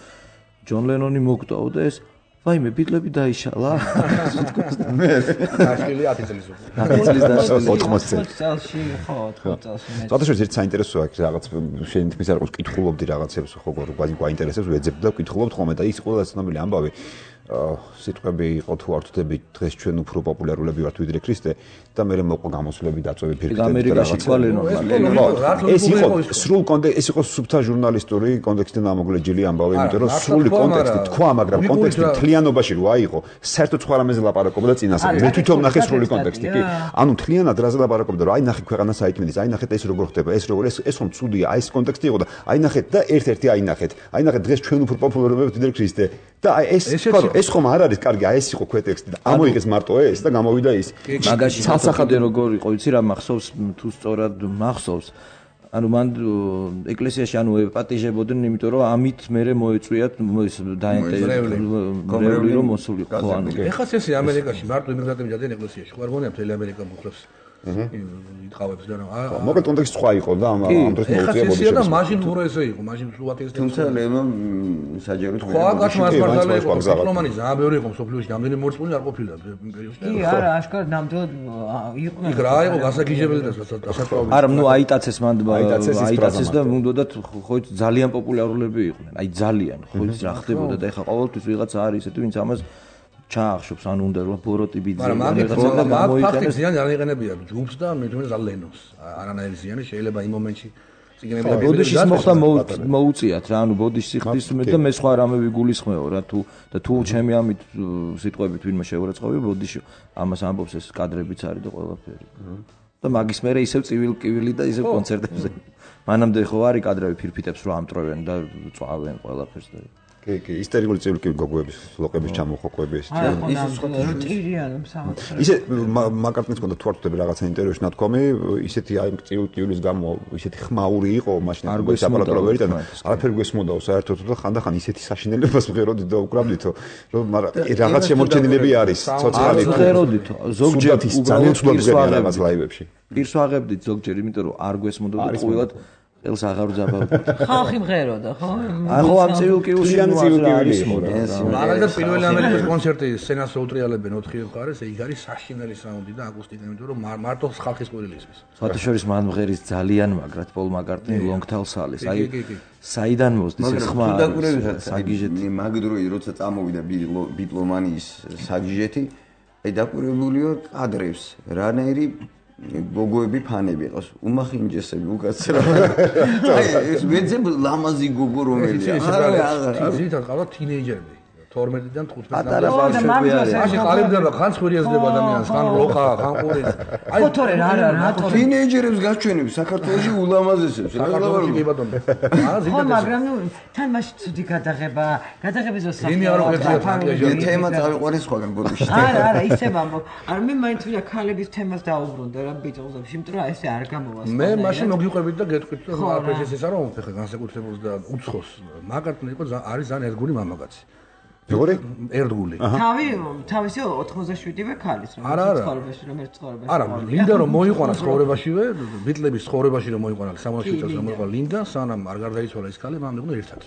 ჯონ ლენონი მოგდაო და ეს ვაიმე ბიტლები დაიშალა მე აშკილი ათი წლის ათი წლის დაშლა ოთხმოცი წელში ხო ოთხმოცი წელში წათაშორის ერთ საინტერესოა იქ რაღაც შენ თქმის არ ყავს კითხულობდი რაღაცებს ხო გვაინტერესებს ვეძებდი და ვკითხულობთ ხოლმე და ის ყველა ცნობილი ამბავი სიტყვები იყო თუ არ ვთქვი დღეს ჩვენ უფრო პოპულარულები ვართ ვიდრე ქრისტე და მე მოყვა გამოსვლები დაწვევი ფირფიტები და რაღაცა ეს იყო სრულ კონტექსტი ეს იყო სუბთა ჟურნალისტური კონტექსტიდან ამოგლეჯილი ამბავი იმიტომ რომ სრული კონტექსტი თქვა მაგრამ კონტექსტი მთლიანობაში რო აიღო საერთოდ სხვა რამეზე ლაპარაკობდა წინასწარ მე თვითონ ნახე სრული კონტექსტი კი ანუ მთლიანად რაზე ლაპარაკობდა რომ აი ნახე ქვეყანა საითმედის აი ნახეთ ეს როგორ ხდება ეს როგორ ეს ეს ხომ ცუდია აი ეს კონტექსტი იყო და აი ნახეთ და ერთ-ერთი აი ნახეთ აი ნახეთ დღეს ჩვენ უფრო პოპულარები ვართ ვიდრე ქრისტე და აი ეს ეს ხომ არ არის კარგი აი ეს იყო ქვეტექსტი და ამოიღეს მარტო ეს და გამოვიდა ის მაგაში ცალსახადე როგორ იყო იცი რა მახსოვს თუ სწორად მახსოვს ანუ მან ეკლესიაში ანუ ეპატიჟებოდნენ იმიტომ რომ ამით მერე მოეწვიათ ეს დაინტერესებული რომ მოსულიყო ანუ ეხლა ესე ამერიკაში მარტო იმიგრანტები დადიან ეკლესიაში ხო არ გონია მთელი ამერიკა მოხლებს იტყავებს და რა მოკლედ კონტექსტი სხვა იყო და ამ ამ დროს მოუწია ბოდიში და მაშინ უფრო ესე იყო მაშინ სულ ათი თუმცა ლენონ საჯაროდ ხო აქ მასპარტალე იყო დიპლომატი ძალიან ბევრი იყო მსოფლიოში ნამდვილი მორწმუნე არ ყოფილა იმპერიოში კი არა აშკარად ნამდვილად იყვნენ იქ რა იყო გასაგიჟებელი და სასწაული არა ნუ აიტაცეს მან აიტაცეს და უნდათ ხო ძალიან პოპულარულები იყვნენ აი ძალიან ხო რა ხდებოდა და ეხა ყოველთვის ვიღაცა არის ესეთი ვინც ამას ჩაახშობს ან უნდა რომ ბოროტი ბიძი მაგრამ მაგ მაგ ფაქტი ზიანი არ იყენებია ჯუბს და მე თვითონ ზალენოს არანაირი ზიანი შეიძლება იმ მომენტში წიგნები ბოდიშის მოხდა მოუწიათ რა ანუ ბოდიშის ხდის მე და მე სხვა რამე ვიგულისხმეო რა თუ და თუ ჩემი ამით სიტყვებით ვინმე შეურაცხყოფი ბოდიში ამას ამბობს ეს კადრებიც არის და ყველაფერი და მაგის მერე ისევ წივილ-კივილი და ისევ კონცერტებზე მანამდე ხო არის კადრები ფირფიტებს რო ამტრევენ და წვავენ ყველაფერს და კი კი ისტერიული წივილ-კივილი გოგოების ლოყების ჩამოხოკვები ეს ის სხვა ტირიანი მსახურები ისე მაკარტნის კონდა თუ არ ვთქვი რაღაცა ინტერვიუში ნათქვამი ისეთი აი წივილ-კივილის გამო ისეთი ხმაური იყო მაშინ ეს აპარატურა ვერ იტანა არაფერი გვესმოდაო საერთოდ და ხანდახან ისეთი საშინელებას ვღეროდით და უკრავდითო რომ მაგრამ რაღაც შემორჩენილები არის ცოცხალი ვღეროდითო ზოგჯერ ძალიან ცუდად ვღერიან რაღაც ლაივებში პირს ვაღებდით ზოგჯერ იმიტომ რომ არ გვესმოდა და ყოველად ელს აღარ უძაბავდა. ხალხი მღეროდა, ხო? აი ხო ამ წივილ-კივილში არის მაგალითად პირველი ამერიკის კონცერტი სცენას უტრიალებენ ოთხი მხარეს, იქ არის საშინელი საუნდი და აკუსტიკა, იმიტომ რომ მარტო ხალხის ყვირილი ისმის. სხვათა შორის მან მღერის ძალიან მაგრად პოლ მაკარტნი Longtail Salis. აი საიდან მოსდის ეს ხმა? საგიჟეთი მაგ დროი როცა წამოვიდა ბიტლომანიის საგიჟეთი, აი დაკვირვებულიო კადრებს, რანაირი გოგოები ფანები ყავს უმახინჯესები უკაცრა აი ეს მეძე ლამაზი გოგო რომელია არა ზითად ყავდა თინეიჯერები თორმეტიდან თხუთმეტი ატარა ბავშვები არის მაშინ ყალიბდება ხან ხვირიაზდება ადამიანს ხან როყა ხან ყური აი ფოთორე რა რა რატო თინეიჯერებს გაჩვენებს საქართველოში ულამაზესებს საქართველოში კი ბატონო ხო მაგრამ ნუ თან მაშინ ცუდი გადაღება გადაღების დროს იმი არ ვერცია თემა წავიყვანე სხვაგან ბოდიში არა არა ისე ვამბობ არა მე მაინც ვიდა ქალების თემას დაუბრუნდა რა ბიჭულებს იმიტომ რომ ესე არ გამოვა მე მაშინ მოგიყვებით და გეტყვით რომ აფრეს ეს არა მომფეხე განსაკუთრებულს და უცხოს მაკარტნი იყო არის ძალიან ერთგული მამაკაცი როგორი? ერთგული. თავი თავისი ოთხმოცდაშვიდივე ქალის რომ ცხოვრებაში რომ ერთ ცხოვრებაში. არა, ლინდა რომ მოიყვანა ცხოვრებაშივე, ბიტლების ცხოვრებაში რომ მოიყვანა სამოცდაშვიდ წელს რომ მოიყვანა ლინდა, სანამ არ გარდაიცვალა ის ქალი, მან უნდა ერთად.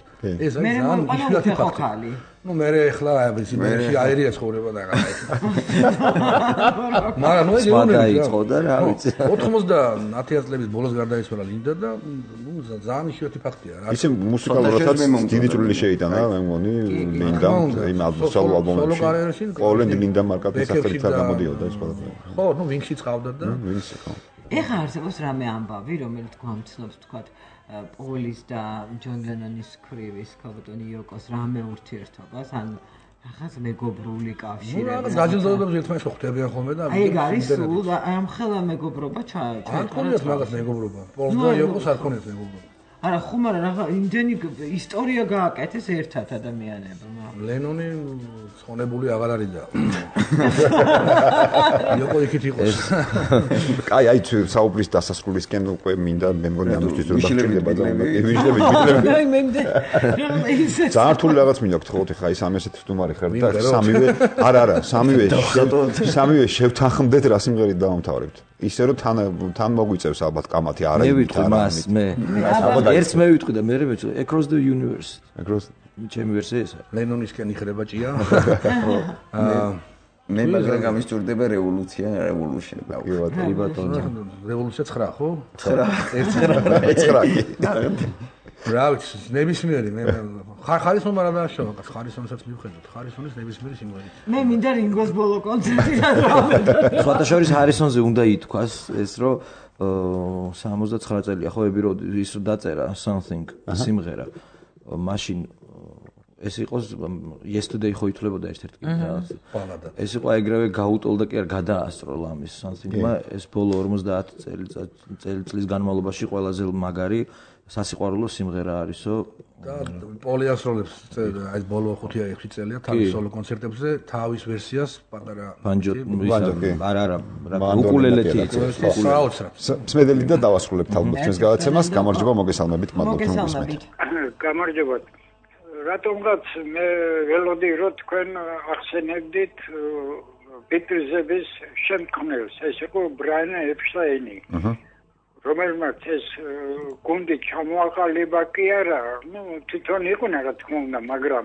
ეს არის ძალიან იშვიათი ფაქტი. ну მე ახლა ისინი აერია ცხოვრება და რაღაც. მაგრამ ნუ დაიწყო და რა ვიცი. ოთხმოცდაათი წლების ბოლოს გარდაიცვალა ლინდა და ნუ ძალიან იშვიათი ფაქტია რა. ისე მუსიკალურადაც დიდი წვლილი შეიტანა მე მგონი ლინდამ იმ ალბომსალო ალბომებში. ყოველდღე ლინდა მარკატის სახელით არ გამოდიოდა ეს ყველაფერი. ხო, ნუ ვინქსი წავდა და ვინქსი ხო. ეხლა არსებობს რამე ამბავი, რომელიც გვამცნობს თქვათ პოლის და ჯონ ლენონის ქრივის ქალბატონი იოკოს რამე ურთიერთობას, ან რაღაც მეგობრული კავშირი. ნუ რაღაც გაჯილდოებებს ერთმანეთს ხვდებიან ხოლმე და აი ეგ არის სულ ამ ხელა მეგობრობა ჩაიჭრა. არ ქონიათ მაგას მეგობრობა. პოლს და იოკოს არ ქონიათ მეგობრობა. არა ხუმარა რაღაც იმდენი ისტორია გააკეთეს ერთად ადამიანებმა. ლენონი ხონებული აღარ არის და იოკო იქით იყოს. კაი, აი საუბრის დასასრულისკენ უკვე მინდა მე მგონი ამისთვის რომ დაგჭირდება და ვიჟლები ვიჟლები. აი მენდე. ძალიან რთული რაღაც მინდა გთხოვოთ ხა ის ამ ესეთ სტუმარი ხარ და სამივე არა არა სამივე სამივე შევთანხმდეთ რა სიმღერით დავამთავრებთ. ისე რომ თან თან მოგვიწევს ალბათ კამათი არა მე ვიტყვი მას მე ერთს მე ვიტყვი და მე მეც across the universe across ჩემი ვერსია ესა ლენონისკენ იხრება ჭია მე მაგრამ გამისჭურდება რევოლუცია revolution კი ბატონო რევოლუცია ცხრა ხო ცხრა ცხრა რა ვიცი ნებისმიერი მე ხარისონმა რა დააშოვა ხარისონსაც მივხედოთ ხარისონის ნებისმიერი სიმღერით მე მინდა რინგოს ბოლო კონცერტი და სხვათა შორის ჰარისონზე უნდა ითქვას ეს რომ სამოცდაცხრა წელია ხო ები რომ ის დაწერა something სიმღერა მაშინ ეს იყოს yesterday ხო ითვლებოდა ერთ-ერთ ბალადა ეს იყო ეგრევე გაუტოლდა კი არ გადაასწრო ლამის something-მა ეს ბოლო ორმოცდაათი წელიწლის განმავლობაში ყველაზე მაგარი სასიყვარულო სიმღერა არისო და პოლი ასროლებს აი ბოლო ხუთი ექვსი წელია თავის სოლო კონცერტებზე თავის ვერსიას პატარა ბანჯო არა არა უკულელეთი სმედელი და დავასრულებთ ალბათ ჩვენს გადაცემას გამარჯობა მოგესალმებით მადლობთ გამარჯობა რატომღაც მე ველოდი რომ თქვენ ახსენებდით ბიტლზების შემქმნელს ეს იყო ბრაიან ეპშტაინი რომელმაც ეს გუნდი ჩამოაყალიბა კი არა, ну, თვითონ იყუნა რა თქმა უნდა, მაგრამ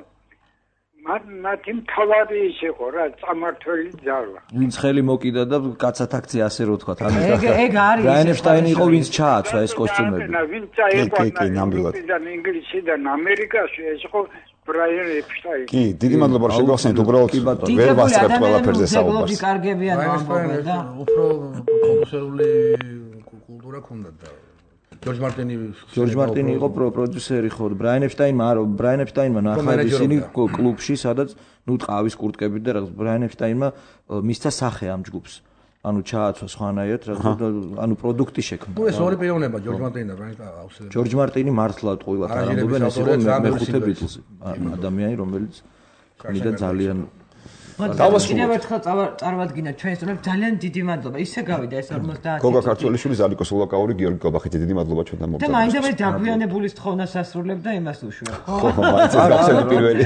მათი მთავარი ის იყო რა, წამართველი ძალა. ვინც ხელი მოკიდა და კაცად აქცია ასე რო თქვა, ამის ეგ ეგ არის. რაინშტაინი იყო ვინც ჩააცვა ეს კოსტიუმები. ვინც წაიყვანა ინგლისიდან ამერიკაში ეს იყო ბრაიან ეპშტაინი. კი, დიდი მადლობა რომ შეგახსენეთ, უბრალოდ ვერ ვასწრებთ ყველაფერზე საუბარს. დიდი კარგებიან ამბობენ და უფრო პროდიუსერული კულტურა ქონდა და ჯორჯ მარტინი ჯორჯ მარტინი იყო პროდიუსერი ხო ბრაიან ეპშტაინმა არა ბრაიან ეპშტაინმა ნახა ისინი კლუბში სადაც ნუ ტყავის კურტკებით და რაღაც ბრაიან ეპშტაინმა მისცა სახე ამ ჯგუფს ანუ ჩააცვა სხვანაირად ანუ პროდუქტი შექმნა ნუ ეს ორი პიროვნება ჯორჯ მარტინი და ბრაიან აუსერა ჯორჯ მარტინი მართლა ტყუილად არ ამბობენ ეს იყო მეხუთე ბიტლზი ადამიანი რომელიც ქმნიდა ძალიან დავასრულებ. კიდევ ერთხელ წარვადგინოთ ჩვენს სტუმრებს ძალიან დიდი მადლობა. ისე გავიდა ეს ორმოცდაათი. გოგა ქართველიშვილი, ზალიკო სულაკაური, გიორგი კობახიძე, დიდი მადლობა ჩვენთან მოგწონთ. და მაინდა მე დაგვიანებულის თხოვნას ასრულებ და იმას უშვებ. ხო, მაინც ეს გახსენე პირველი.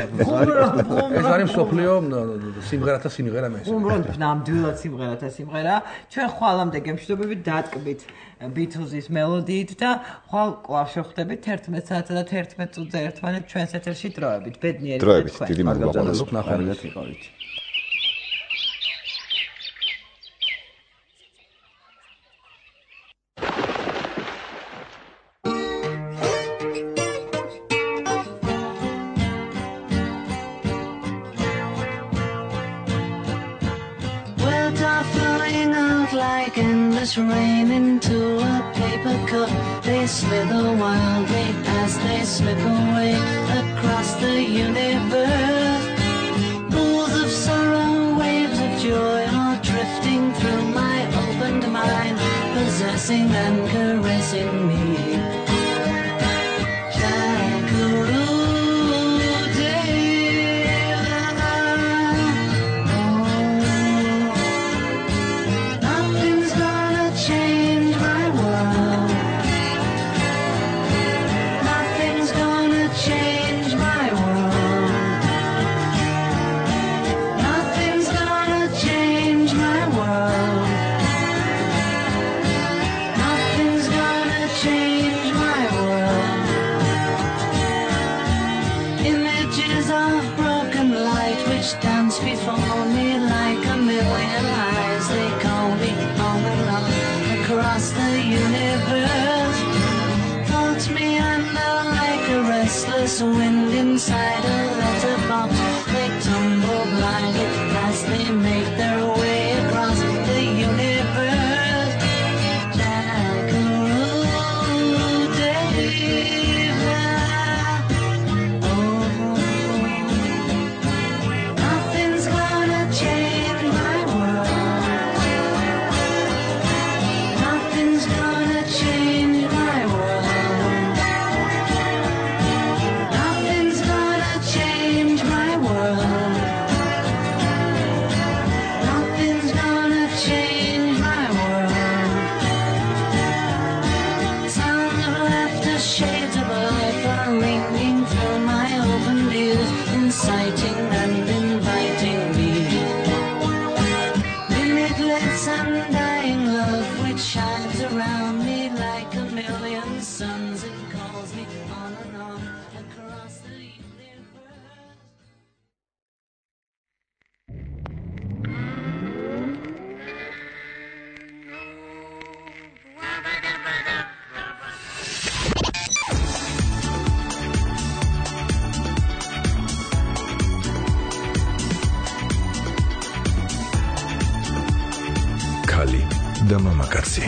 ეს არის სოფლიო სიმღერათა სიმღერა მე. უბრალოდ ნამდვილად სიმღერათა სიმღერა. ჩვენ ხვალამდე გემშვიდობებით დატკბით ბიტლზის მელოდიით და ხვალ კვლავ შევხვდებით თერთმეტ საათსა და თერთმეტ წუთზე ერთმანეთს ჩვენს ეთერში დროებით. ბედნიერი დროებით. დიდი მადლობა. ნახარგად იყავით. Rain into a paper cup, they slither wildly as they slip away across the universe. Pools of sorrow, waves of joy are drifting through my opened mind, possessing and caressing me. Change across the universe. Floats me under like a restless wind inside a letterbox. They tumble blindly as they make their way across the universe. Jackaroo David. Oh, nothing's gonna change my world. Nothing's gonna change my world. Nothing's gonna change my world. Nothing's gonna change my world. Sounds of laughter, shades of life are ringing through my open views, inciting and inviting me. Limitless undying love which shines around me like a million suns. It calls me on and on across the universe. ქალი და მამაკაცი